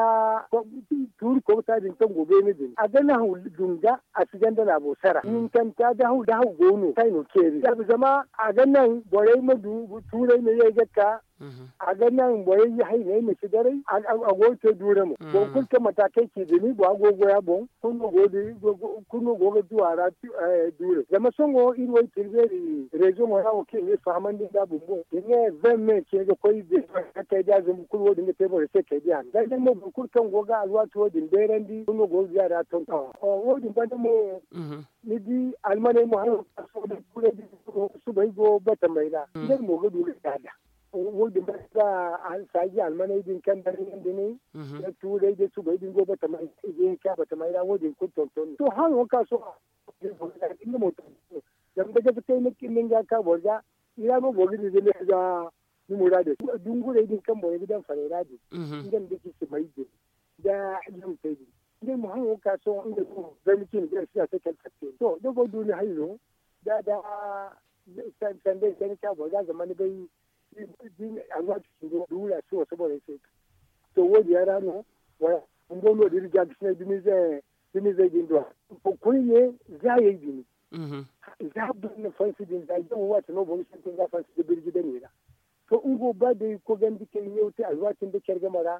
tuuri kobta din kaŋ go beene din a ga nahaw dunga a si ganda laabo sara hinkanta da haw go no kaŋ i na ceeri zama a ga naŋ borey ma du tuurey ma ye ga ka A ga naŋ borey hayney ma si daray. A go ga te duure mo. Boro kulu kaŋ mataakey ci dini bora go ga goy a boŋ. Kulu no go ga du a ra duure zama sohõ iri wo i tirbeeri rezoŋo ra wo kaŋ i ga iri fahamandi nd'a bumbo i ne vingt mai ce ga koy. Kaydiya zumbu kulu wo- din ga te borey se kaydiya no da day mo boro kulu kaŋ go ga alwaati wo- din beerandi kulu no go ga di a ra tonton wo- din banda mo. Ni di almaney mo haro kaŋ sohõ day kuray din subay go batamey ra ngey mo ga du ga daada. Wo- din banda saaji almaney din kaŋ daŋ yaŋ da ne da tuuray da subay din go batamey ra i ga hin ka batamey ra wo- din kulu tonton no to haro kaŋ sohõ. Nga mo tonton no zama da gaza kay ni ga ka boro ga i ra no boro ga di da ne ga ni muraadey dungurey din kaŋ borey ga daŋ farey ra din. Nga nda ci si may din da yamtey din ngey mo haŋo ka sohõ ngey mo zama cine da sina se kala fatte to da boro du ni hayo da da sanda i kani ka boro ga zama ni bay. Alwaati duura si wasa borey se to wo- din yaŋ ra no wala bumbo no da iri ga ga sinay dumizey din do. Koyne zaayey din za boro na fansi din za yaŋ waati no boro sintin ga fansi da birji dane ra. To nga wo ba day kogandi kay ɲaw te alwaati nda care game ra.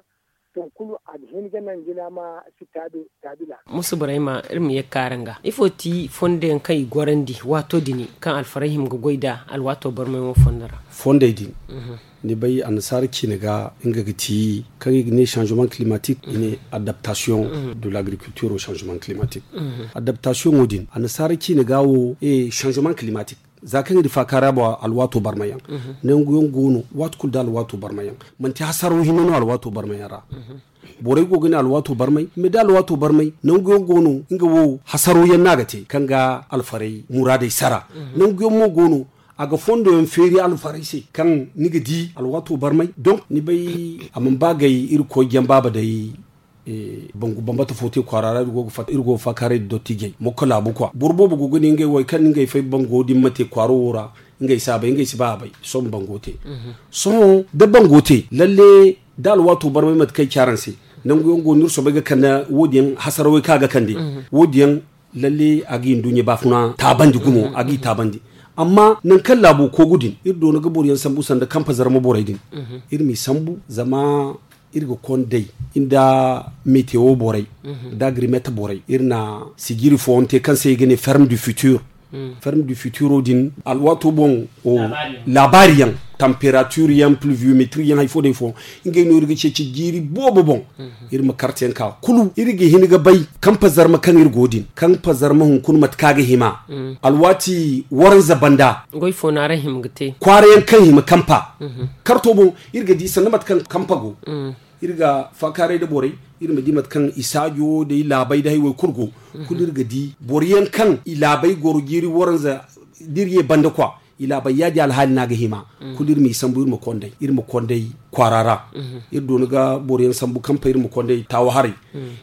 To kulu a ga hin ga naŋ jina ma si taabi taabi laabo. Musu burayma iri ma ye ga kaara nga ifo ti fondo yaŋ kaŋ i gorandi waato din kaŋ alfarey hima ga goy nd'a alwaato barmay wo fondo ra? Fondey din ni bay annasaara ciine ga nga ga ti kaŋ i ga ne changement climatique i ne adaptation de l'agriculture au changement climatique. Adaptation wo din annasaara ciine ga wo changement climatique za kaŋ iri faakaara boŋ alwaato barmayaŋ. Nangu yaŋ go no waati kulu da alwaato barmayaŋ manti hasaro hinne no alwaato barmayaŋ ra. Borey go ga ne alwaato barmay mais da alwaato barmay nangu yaŋ go no nga wo hasaro yaŋ no a ga te kaŋ ga alfarey muraadey sara. Nangu yaŋ mo go no a ga fondo yaŋ feeri alfarey se kaŋ ni ga di alwaato barmay donc ni bay a mana ba gay iri koy jaŋ baaba day. Bangu bambata fo te kwaara ra iri go ga faakaaray nda dottijey mokko laabu kwa boro boobo go ga ne ngey wo hari kaŋ no ngey fay bango din ma te kwaaro wo ra. Ngey si a bay ngey si ba a bay sohõ bango te. Sohõ da bango te lalle da alwaato barmay mate kaŋ ay ci araŋ se nangu yaŋ go no iri soobay ga kande wo- din yaŋ hasarawey kaŋ a ga kande wo- din yaŋ lalle a ga i nduɲɲa baafuna taabandi gumo a ga i taabandi. Amma nangu kaŋ laabo koogu din iri doona ga boro yaŋ sambu sanda kampa zarma borey din iri m'i sambu zama iri ga konday nda metewo borey nda agrimeta borey iri na sijiri fooyaŋ te kaŋ se i ga ne ferme du futur. Ferme du futuro din alwaato boŋ laabaari yaŋ temperature yaŋ pluviometri yaŋ hari fo day fo ngey no iri ga ceeci jiiri boobo boŋ. Iri ma karte yaŋ ka kulu iri ga hin ga bay kampa zarma kaŋ iri go din kampa zarma hunkuna mate kaŋ a ga hima alwaati waranza banda. Goy fo no araŋ hima ga te kwaara yaŋ kaŋ hima kampa karto boŋ iri ga di sanda mate kaŋ kampa go. Iri ga faakaaray nda borey iri ma di mate kaŋ i saajo day laabay da hay wo kulu go. Kulu iri ga di boro yaŋ kaŋ i laabay goro jiiri waranza da iri ye banda kwa i laabay yaadin alhaali no a ga hima. Kulu iri m'i sambu iri ma konday iri ma konday kwaara ra. Iri doona ga boro yaŋ sambu kampa iri ma konday taawa haray.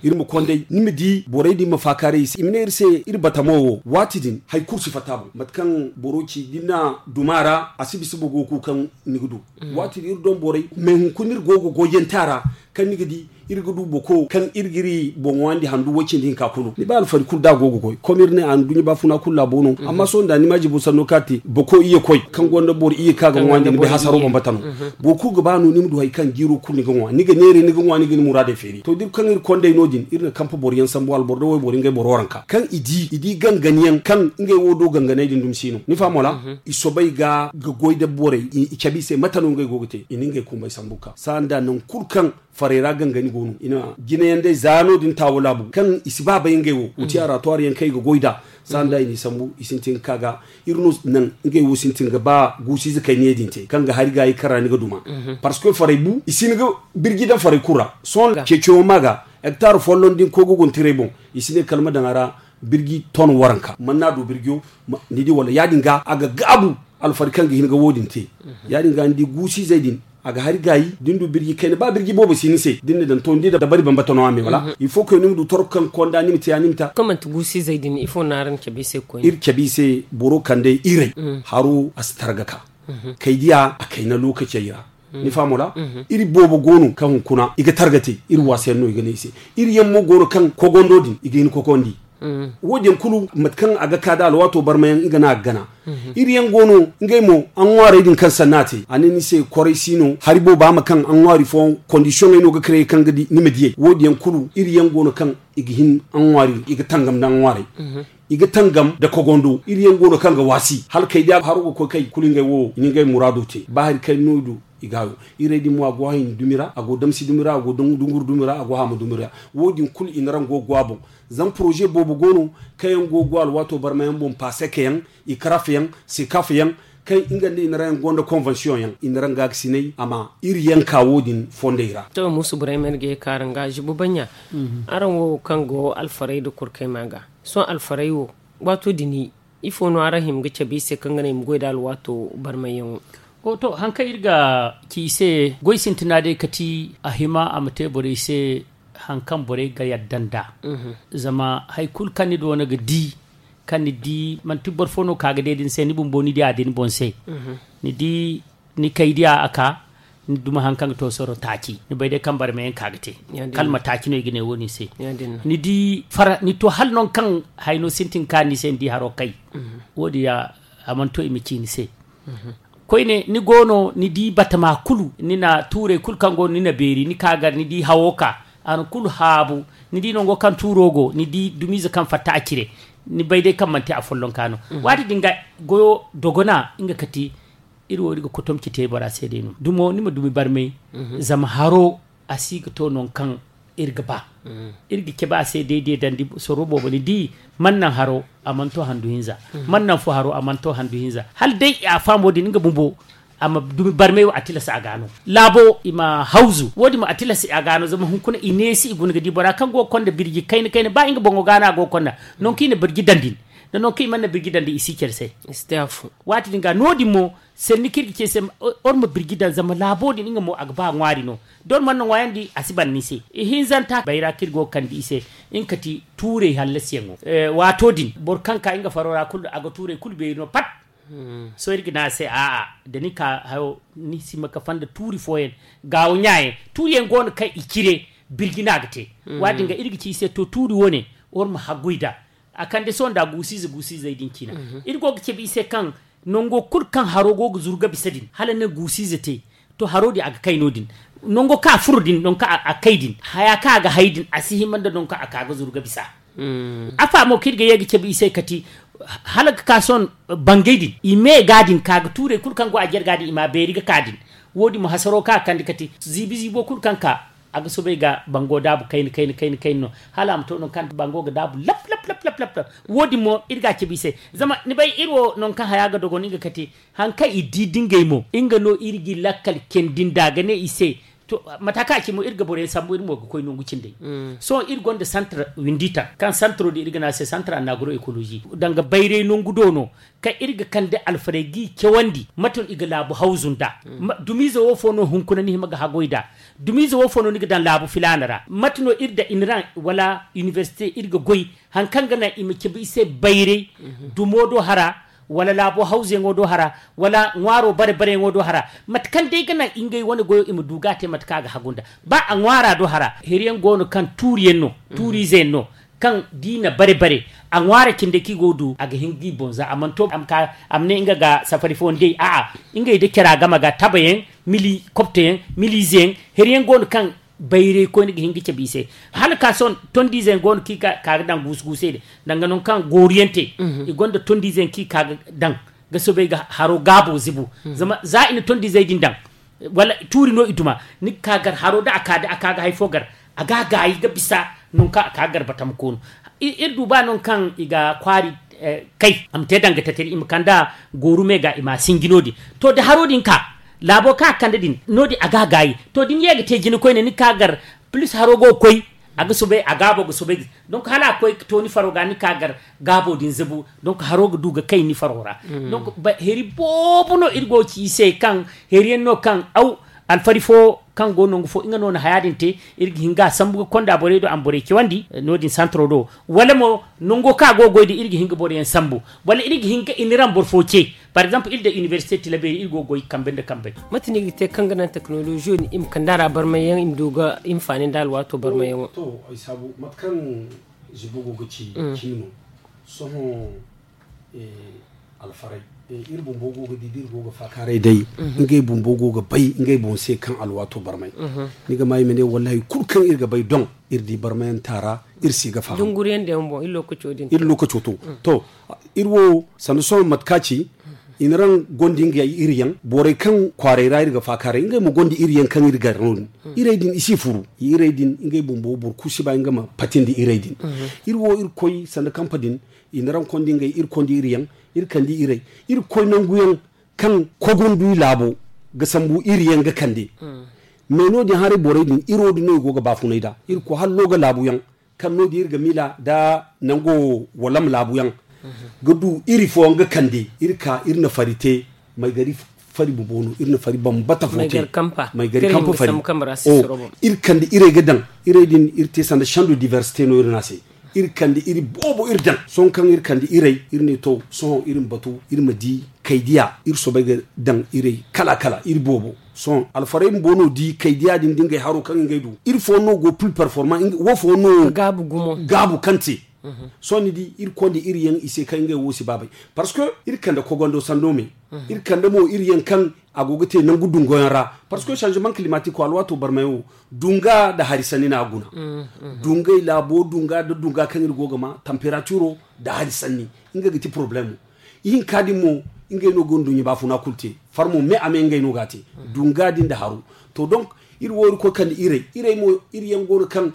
Iri ma konday ni ma di borey din ma faakaaray i se i ma ne iri se iri batamo wo waati din hari kulu si fatta boŋ mate kaŋ boro ci da ni na duma ra a si bisa bogo kulu kaŋ ni ga du. Waati din iri doŋ borey me hunkuna iri go ga goyante a ra kaŋ ni ga di iri ga du boko kaŋ iri ga iri boŋ waandi handu way cindi hinka kulu ni bay alfari kulu da a go ga goy kom iri ne a na duɲɲa baafuna kulu laabo no. Amma sohõ nda ni ma jibo sanno kaŋ a te boko iyye koy kaŋ gonda boro iyye kaŋ a ga ŋwaandi ni bay hasaro bambata no. Boro kulu ga ba no ni ma du hari kaŋ jiiro kulu ni ga ŋwa ni ga neeray ni ga ŋwa ni ga ni muraadey feeri to da iri kaŋ iri kondey no- din iri na kampa boro yaŋ sambu alboro da wayboro ngey boro waranka kaŋ i di i di gangan yaŋ kaŋ ngey wo do ganganey din dumi si no ni faham wala? I soobay ga ga goy nda borey i cabe i se mate no ngey go ga te i na ngey kumbey sambu ga ka saha nda nangu kulu kaŋ farey ra gangani go no i na jinayaŋ day za no- din taawo laabu kaŋ i si ba bay ngey wo wuti araatuwaari yaŋ kaŋ i ga goy nd'a. Saha nda i n'i sambu i sintin ga ka ga iri no naŋ ngey wo sintin ga ba guusu-ize kayna ye din te kaŋ ga hari gaayi kaŋ ra ni ga duma. Parce que farey bu i si hin ga birji daŋ farey kulu ra sohõ ceeciyaŋo ma ga hektaar folloŋ da ni koy ga guna tiray boŋ i si ne kala ma daŋ a ra birji ton waranka mana n'a du birjiyo. Ni di wala ya- din ga a ga gaabu alfari kaŋ ga hin ga wo- din te. Ya- din ga ni di guusu-izey din a ga hari gaayi da ni du birji kayna ba birji boobo si ni se da ni na daŋ to ni di dabari bambata no a me wala il faut que ni ma du torko kaŋ konda ni ma te ya ni ma ta. Kaŋ manti guusu-izey din ifo no araŋ cabe i se koyne iri cabe i se boro kande iray haro a si targa ka kay diya a kayna lookacey ra. Ni faham wala? Iri boobo go no kaŋ hunkuna i ga targa te iri waasa yaŋ no i ga ne i se. Iri yaŋ mo go no kaŋ kogondo din i ga hin kogondi. Wo- din kulu mate kaŋ a ga ka da alwaato barmayaŋ nga no a ga gana. Iri yaŋ go no ngey mo, aŋwaarey din kaŋ sanna a te a ne ni se kwaray si no hari boobo a ma kaŋ aŋwaari fooyaŋ kondisiyoŋey no ga kare kaŋ ga di ni ma diyey wo- din yaŋ kulu iri yaŋ go no kaŋ i ga hin aŋwaari i ga tangam nda aŋwaarey. I ga tangam nda kogondo iri yaŋ go no kaŋ ga waasi hala kay da haro ga koy kay kulu ngey wo i na ngey muraado te ba hari kay no i du. I ga hayo irey din mo a go hahin dumi ra a go damsi dumi ra a go dunguru dumi ra a go haama dumi ra. Wo- din kulu i na raŋ go go a boŋ. Zama poroze boobo go no kaŋ yaŋ go go alwaato barmayaŋ boŋ paaseke yaŋ, ikaraf yaŋ, sekaf yaŋ, kaŋ nga nda i na raŋ yaŋ gonda konvensiyoŋ yaŋ i na raŋ gaakasinay a ma iri yaŋ ka wo- din fondey ra. To muusu burayma iri ga ye ka araŋ ga zubu banɲa. Araŋ wo kaŋ go alfarey nda kurkey ma ga sohõ alfarey wo waato din, ifo no araŋ hima ga cabe i se kaŋ ga naŋ i ma goy nda alwaato barmayyaŋo? To hari kaŋ iri ga ci i se goy sintina day kati a hima a ma te borey se hari kaŋ borey ga yadda nd'a. Zama hari kulu kaŋ ni du wane ga di kaŋ ni di manti boro fo no ka ga day da ni se ni bumbo ni di a da ni boŋ se. Ni di ni kay diya a ka ni duma hari kaŋ ga to soro taaci ni bay day kaŋ barmayaŋ ka ga te. Kala ma taaci no i ga ne wo- din se. Ni di fara ni to hala nangu kaŋ hayno sintin ka ni se ni di haro kay. Wo- din ya a mana to i ma ci ni se. Koyne ni go no ni di batama kulu ni na tuurey kulu kaŋ go no ni na beeri ni ka gar ni di hawo ka a na kulu haabu. Ni di nango kaŋ tuuro go ni di dumiize kaŋ fatta a cire. Ni bay day kaŋ manti afollonka no. Waati din ga goyo dogona nga kati. Iri wo iri ga kotomci te bora se day no dumo ni ma dumi barmay. Zama haro a si ga to nangu kaŋ iri ga ba. Iri ga cabe a se day day dandi soro boobo ni di man naŋ haro a mana to handu hinza. Man naŋ fo haro a mana to handu hinza hala day a faamo din nga bumbo. A ma dumi barmay wo a tilas a ga no laabo i ma hawzu wo- din mo a tilas a ga no zama hunkuna i neesi i guna ga di bora kaŋ go ga konda birji kayna kayna ba nga boŋo ga no a go ga konda. Nangu kaŋ i na birji daŋ din da nangu kaŋ i mana birji daŋ din i si care se. Waati din ga no- din mo sanni kaŋ iri ga ce se or ma birji daŋ zama laabo din nga mo a ga ba ŋwaari no. Da or mana ŋwaayandi a si ban ni se ihinzanta bayra kaŋ iri go ga kande i se. Nga kati tuurey hallasiyaŋo waato din boro kaŋ ka nga faro ra kulu a ga tuurey kulu beeri no pat. Sohõ iri ga ne a se a'a da ni ka hayo ni si ma kafa nda tuuri fooyaŋ gaawo ɲaayaŋ tuuriyaŋ go no kaŋ i cire birji no a ga te. Waati din ga iri ga ci i se to tuuri wane war ma haggoy nd'a. A kande sohõ nda guusu-ize guusu-izey din cina. Iri go ga cabe i se kaŋ nango kulu kaŋ haro go ga zuru ga bisa din hala ni na guusu-ize te. To haro din a ga kay no- din nango kaŋ a furo din nangu kaŋ a kay din haya kaŋ a ga hay din a si hima nda nangu kaŋ a ka ga zuru ga bisa. Afa mo kaŋ iri ga ye ga cabe i se kati hala ga ka sohõ bangey din i me ga din ka ga tuurey kulu kaŋ go a jarga din i ma a beeri ga ka din. Wo- din mo hasaro kaŋ a kande kati ziibi ziibo kulu kaŋ ka a ga soobay ga bango daabu kayna kayna kayna kayna no hala a ma to nangu kaŋ bango ga daabu lap lap lap lap lap. Wo- din mo iri ga a cabe i se zama ni bay iri wo nangu kaŋ haya ga dogon nga kati. Hari kaŋ i di da ngey mo nga no iri ga i lakkal candi nd'a ga ne i se. To mata kaŋ a ci mo iri ga boro yaŋ sambu iri mo ga koy nangu cindey. Sohõ iri gonda santar windi taŋ kaŋ santaro din iri ga ne a se santar annaguro ekolozi danga bayray nangu do no. Kaŋ iri ga kande alfarey g'i cawandi mate no i ga laabu hawzu nd'a? Dumiize wo fo no hunkuna ni hima ga hagoy nd'a? Dumiize wo fo no ni ga daŋ laabu filaana ra mate no iri da iniraŋ wala inibersite iri ga goy? Hari kaŋ ga naŋ i ma cabe i se bayray dumo do hara wala laabo hawzuyaŋo do hara wala ŋwaaro bare bareyaŋo do hara. Mate kaŋ day ga naŋ ngey wane goyo i ma du ga a te mate kaŋ a ga hagu nda ba a ŋwaara do hara hiriyaŋ go no kaŋ tuuriyaŋ no tuuriizeyaŋ no. Kaŋ da i na bare bare a ŋwaara cindey kaŋ i go ga du a ga hin ga i boŋ za a mana to a ma ne nga ga safari fooyaŋ day a'a ngey da cara game ga tabayaŋ mili kopteyaŋ miliizeyaŋ hiriyaŋ go no kaŋ bayraykoyne ga hin ga cabe i se. Hala ka sohõ tondiize yaŋ go no kaŋ i ka ga daŋ guusu guusey din danga nangu kaŋ gooru yaŋ te. I gonda tondiize yaŋ kaŋ i ka ga daŋ ga soobay ga haro gaabo zibu. Zama za i na tondiizey din daŋ wala tuuri no i duma ni ga ka gar haro da a ka ga hari fo gar a ga a gaayi ga bisa. Nangu kaŋ a ka ga gar batama koonu iri du ba nangu kaŋ i ga kwaari kay a ma te danga tatari i ma kand'a gooru me ga i ma a sinji no- din. To da haro din ka laabo kaŋ a kande din no- din a ga a gaayi. To da ni ye ga te jina koyne ni ga ka gar plus haro go ga koy a ga soobay a gaabo ga soobay ga donk hala a koy ga to ni faro ga ni ga ka gar gaabo din zabu. Donk haro ga du ga kay ni faro ra. Donk heri boobo no iri go ga ci i se kaŋ heri yaŋ no kaŋ aw alfari fo kaŋ go nangu fo nga no na haya din te iri ga hin ga a sambu ga konda borey do a ma borey cawandi no- din santaro do wala mo nango kaŋ a go ga goy din iri ga hin ga boro yaŋ sambu wala iri ga hin ga i na raŋ boro fo ce. Par exemple iri da inibersite tilabeeri iri go ga goy kambe nda kambe. Mate no i ga te kaŋ ga naŋ teknoloziyo din i ma kande a ra barmay yaŋ i ma du ga hinfaani nda alwaato barmay yaŋo? To ay saabu mate kaŋ Zibo go ga ci ciino. Sohõ alfaray, iri bumbo go ga di da iri go ga faakaaray day. Ngey bumbo go ga bay ngey boŋ se kaŋ alwaato barmay. Ni ga ma i ma ne wallaahi kulu kaŋ iri ga bay doŋ, iri di barmayanta ra. Iri si ga faham dunguriyaŋ da yaŋ boŋ iri lookaco din. Iri lookaco to. To, iri wo sanda sohõ mate ka ci i na raŋ gonda ngey iri yaŋ borey kaŋ kwaaray ra iri ga faakaaray ngey ma gonda iri yaŋ kaŋ iri gar no-din. Irey din i si furu. Irey din ngey bumbo boro kulu si ba nga ma patindi irey din. Iri wo iri koy sanda kampa din, i na raŋ kondi ngey iri kondi iri yaŋ. Iri kandi irey, iri koy nangu yaŋ kaŋ kogondu i laabo ga sambu iri yaŋ ga kande. Me no-din haray borey din iri wo din no i go ga baafunay nd'a iri koy hallo ga laabu yaŋ. Kaŋ no-din iri ga miila nda nango walam laabu yaŋ ga du iri fooyaŋ ga kande iri ka iri na fari te. Maygari fari bumbo no iri na fari bambata fo te. Maygari kampa fari. Iri kande irey ga daŋ irey din iri te sanda sando diversite no iri na se. Iri kande iri boobo iri daŋ sohõ kaŋ iri kande irey iri ne to sohõ iri ma batu iri ma di kaydiya iri soobay ga daŋ irey kala kala iri boobo. Sohõ alfaray bumbo no di kaydiya din da ngey haro kaŋ ngey du iri fooyaŋ no go pil performan wo fooyaŋ no gaabu kaŋ te. Sohõ ni di iri konda iri yaŋ i se kaŋ ngey wo si baabay. Parce que iri kande kogondo sando me iri kande mo iri yaŋ kaŋ a go ga te nangu dungoyaŋ ra. Parce que changement climatique alwaato barmay wo dunga nda hari sanni no a guna. Dungay laabo dunga nda dunga kaŋ iri go ga ma temperaturo nda hari sanni nga ga ti problemo. Ihinka din mo ngey no ga nduɲɲa baafuna kulu te. Farmo me a me ngey no ga a te dunga din nda haro. To donc iri wo iri koy kande irey irey mo iri yaŋ go no kaŋ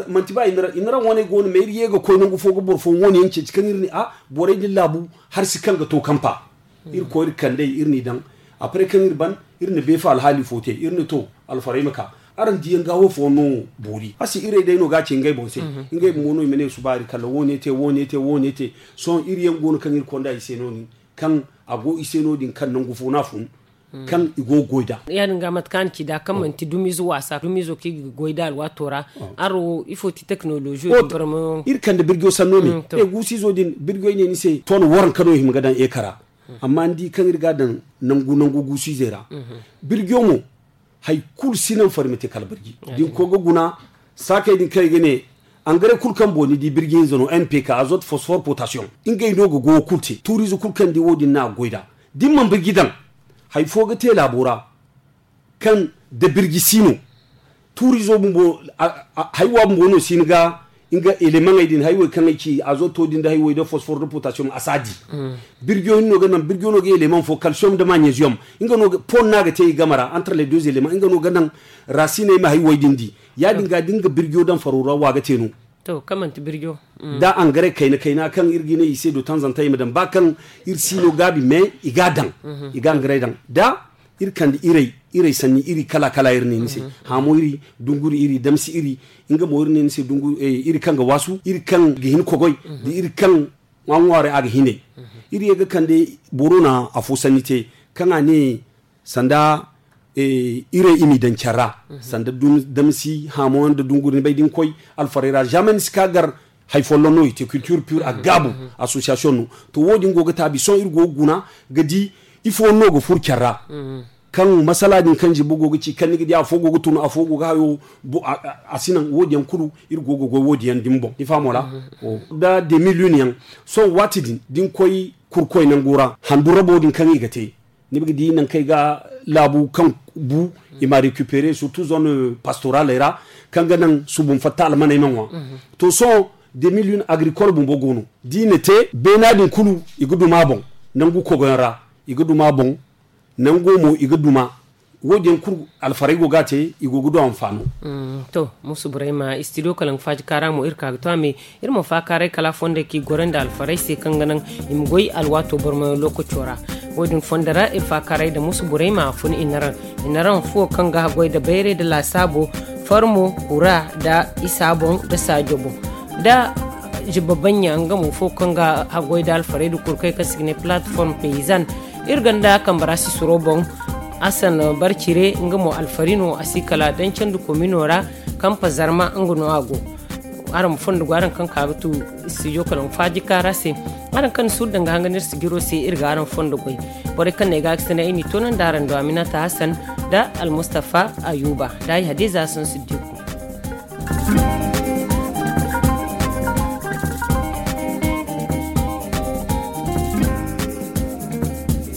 manti ba i na raŋ wane go no ma iri ye ga koy nangu fo ga boro fo wane yaŋ ceeci kaŋ iri ne a borey din laabu hari si kaŋ ga to kampa. Iri koy iri kandey iri n'i daŋ. Après kaŋ iri ban iri na beefa alhaali fo te iri ne to alfaray ma ka araŋ diyaŋ ga wo fo no boori a si irey day no ga a ce ngey boŋ se. Ngey mo no i ma ne subaari kala wo- ne te wo- ne te wo- ne te. Sohõ iri yaŋ go no kaŋ iri konda i se no- din kaŋ a go i se no- din kaŋ nangu fo no a fun kaŋ i go ga goy nd'a. Ya- din ga mate kaŋ a na ci nd'a kaŋ manti dumiize waasa dumiizo kaŋ i ga goy nd'a alwaato ra. Araŋ wo ifo ti tekinoloziyo din barmayaŋo? Iri kande birjo sanno me guusu izo din birjo i ne ni se ton waranka no i hima ga daŋ eeka ra. Amma ni di kaŋ iri ga a daŋ nangu nangu guusu izey ra. Birjo mo hari kulu si naŋ fari ma te kala birji da ni koy ga guna saakey din kaŋ i ga ne. Angare kulu kaŋ boŋ ni di birji hinza no n p k azote fosfor potasiyoŋ. Ngey no ga goyo kulu te tuuriize kulu kaŋ ni di wo- din no a ga goy nd'a da ni mana birji daŋ. Hari fo ga te laabo ra kaŋ da birji si no tuuriizo bumbo haywa bumbo no si ni ga nga elemaŋey din haywey kaŋ ay ci azoto din da haywey da fosfor da potasiyoŋ a si a di. Birjo hinno ga naŋ birjo no ga eleman fo kalsiyoŋ da magnesiyoŋ. Nga no ga pon no a ga te i game ra entre les deux eleman nga no ga naŋ raasiney ma haywey din di. Ya- din ga da nga birjo daŋ faro ra wa ga te no. To kaŋ manti birjo da angare kayna kayna kaŋ iri ga i ne i se do tanzanta i ma daŋ ba kaŋ iri si no gaabi mais i ga a daŋ. I ga angare daŋ da iri kande irey irey sanni iri kala kala iri ne ni se. Haamo iri dunguri iri damsi iri nga mo iri ne ni se dunguri iri kaŋ ga waasu iri kaŋ ga hin kogoy da iri kaŋ ŋwa ŋwaaray a ga hinay. Iri ye ga kande boro na afo sanni te kaŋ a ne sanda irey i m'i daŋ care ra sanda damsi haamo nda dunguri ni bay da ni koy alfaray ra zama ni si ka gar. Hari folloŋ no i te culture pure a gaabu association no. To wo- din go ga taabi sohõ iri go ga guna ga di ifo no ga furo care ra. Kaŋ masala din kaŋ zibo go ga ci kaŋ ni ga di afo go ga tun afo go ga hayo a si naŋ wo- din yaŋ kulu iri go ga goy wo- din yaŋ din boŋ ni fahamo ra. Da deux mille un yaŋ sohõ waati din da ni koy kurkoy nango ra handu rabo din kaŋ i ga te ni ga di nangu kaŋ ay ga laabu kaŋ bu i ma récupérer surtout zone pastoraley ra kaŋ ga naŋ subun fatta almaney ma ŋwa. To sohõ deux mille un agricole bumbo go no da i na te beena din kulu i ga duma a boŋ. Nangu kogoyaŋ ra i ga duma a boŋ. Nango mo i ga duma wo- din yaŋ kulu alfaray go ga a te i go ga du anfaano. To musu burayma studio kalaŋ faaji kaara mo iri ka ga to a me iri ma faakaaray kala fondey kaŋ i goro nda alfaray se kaŋ ga naŋ i ma goy alwaato barmayaŋ lookaco ra. Wo- din fondo ra iri faakaaray nda musu burayma a fun i na raŋ i na raŋ fuwo kaŋ ga haggoy nda bayray nda laasaabo farmo kura nda isa boŋ nda saajo boŋ nda ziba baɲɲa nga mo fuwo kaŋ ga haggoy nda alfaray nda kurkey kaŋ se i ga ne plateforme paysan. Iri ganda kambara sisiro boŋ asan barcire nga mo alfari no a si kala dancandi komino ra. Kampa zarma nga no a go. Araŋ ma fondo go araŋ kaŋ ka ga tu studio kalaŋ faaji kaara se. Araŋ kaŋ ni suuru danga hanga n'iri sijiro se iri ga araŋ fondo goy. Borey kaŋ no ay ga a ga sene ay n'i toonandi araŋ do aminata hasan nda almustafa ayuba nda ay hadiza hasan siddiku.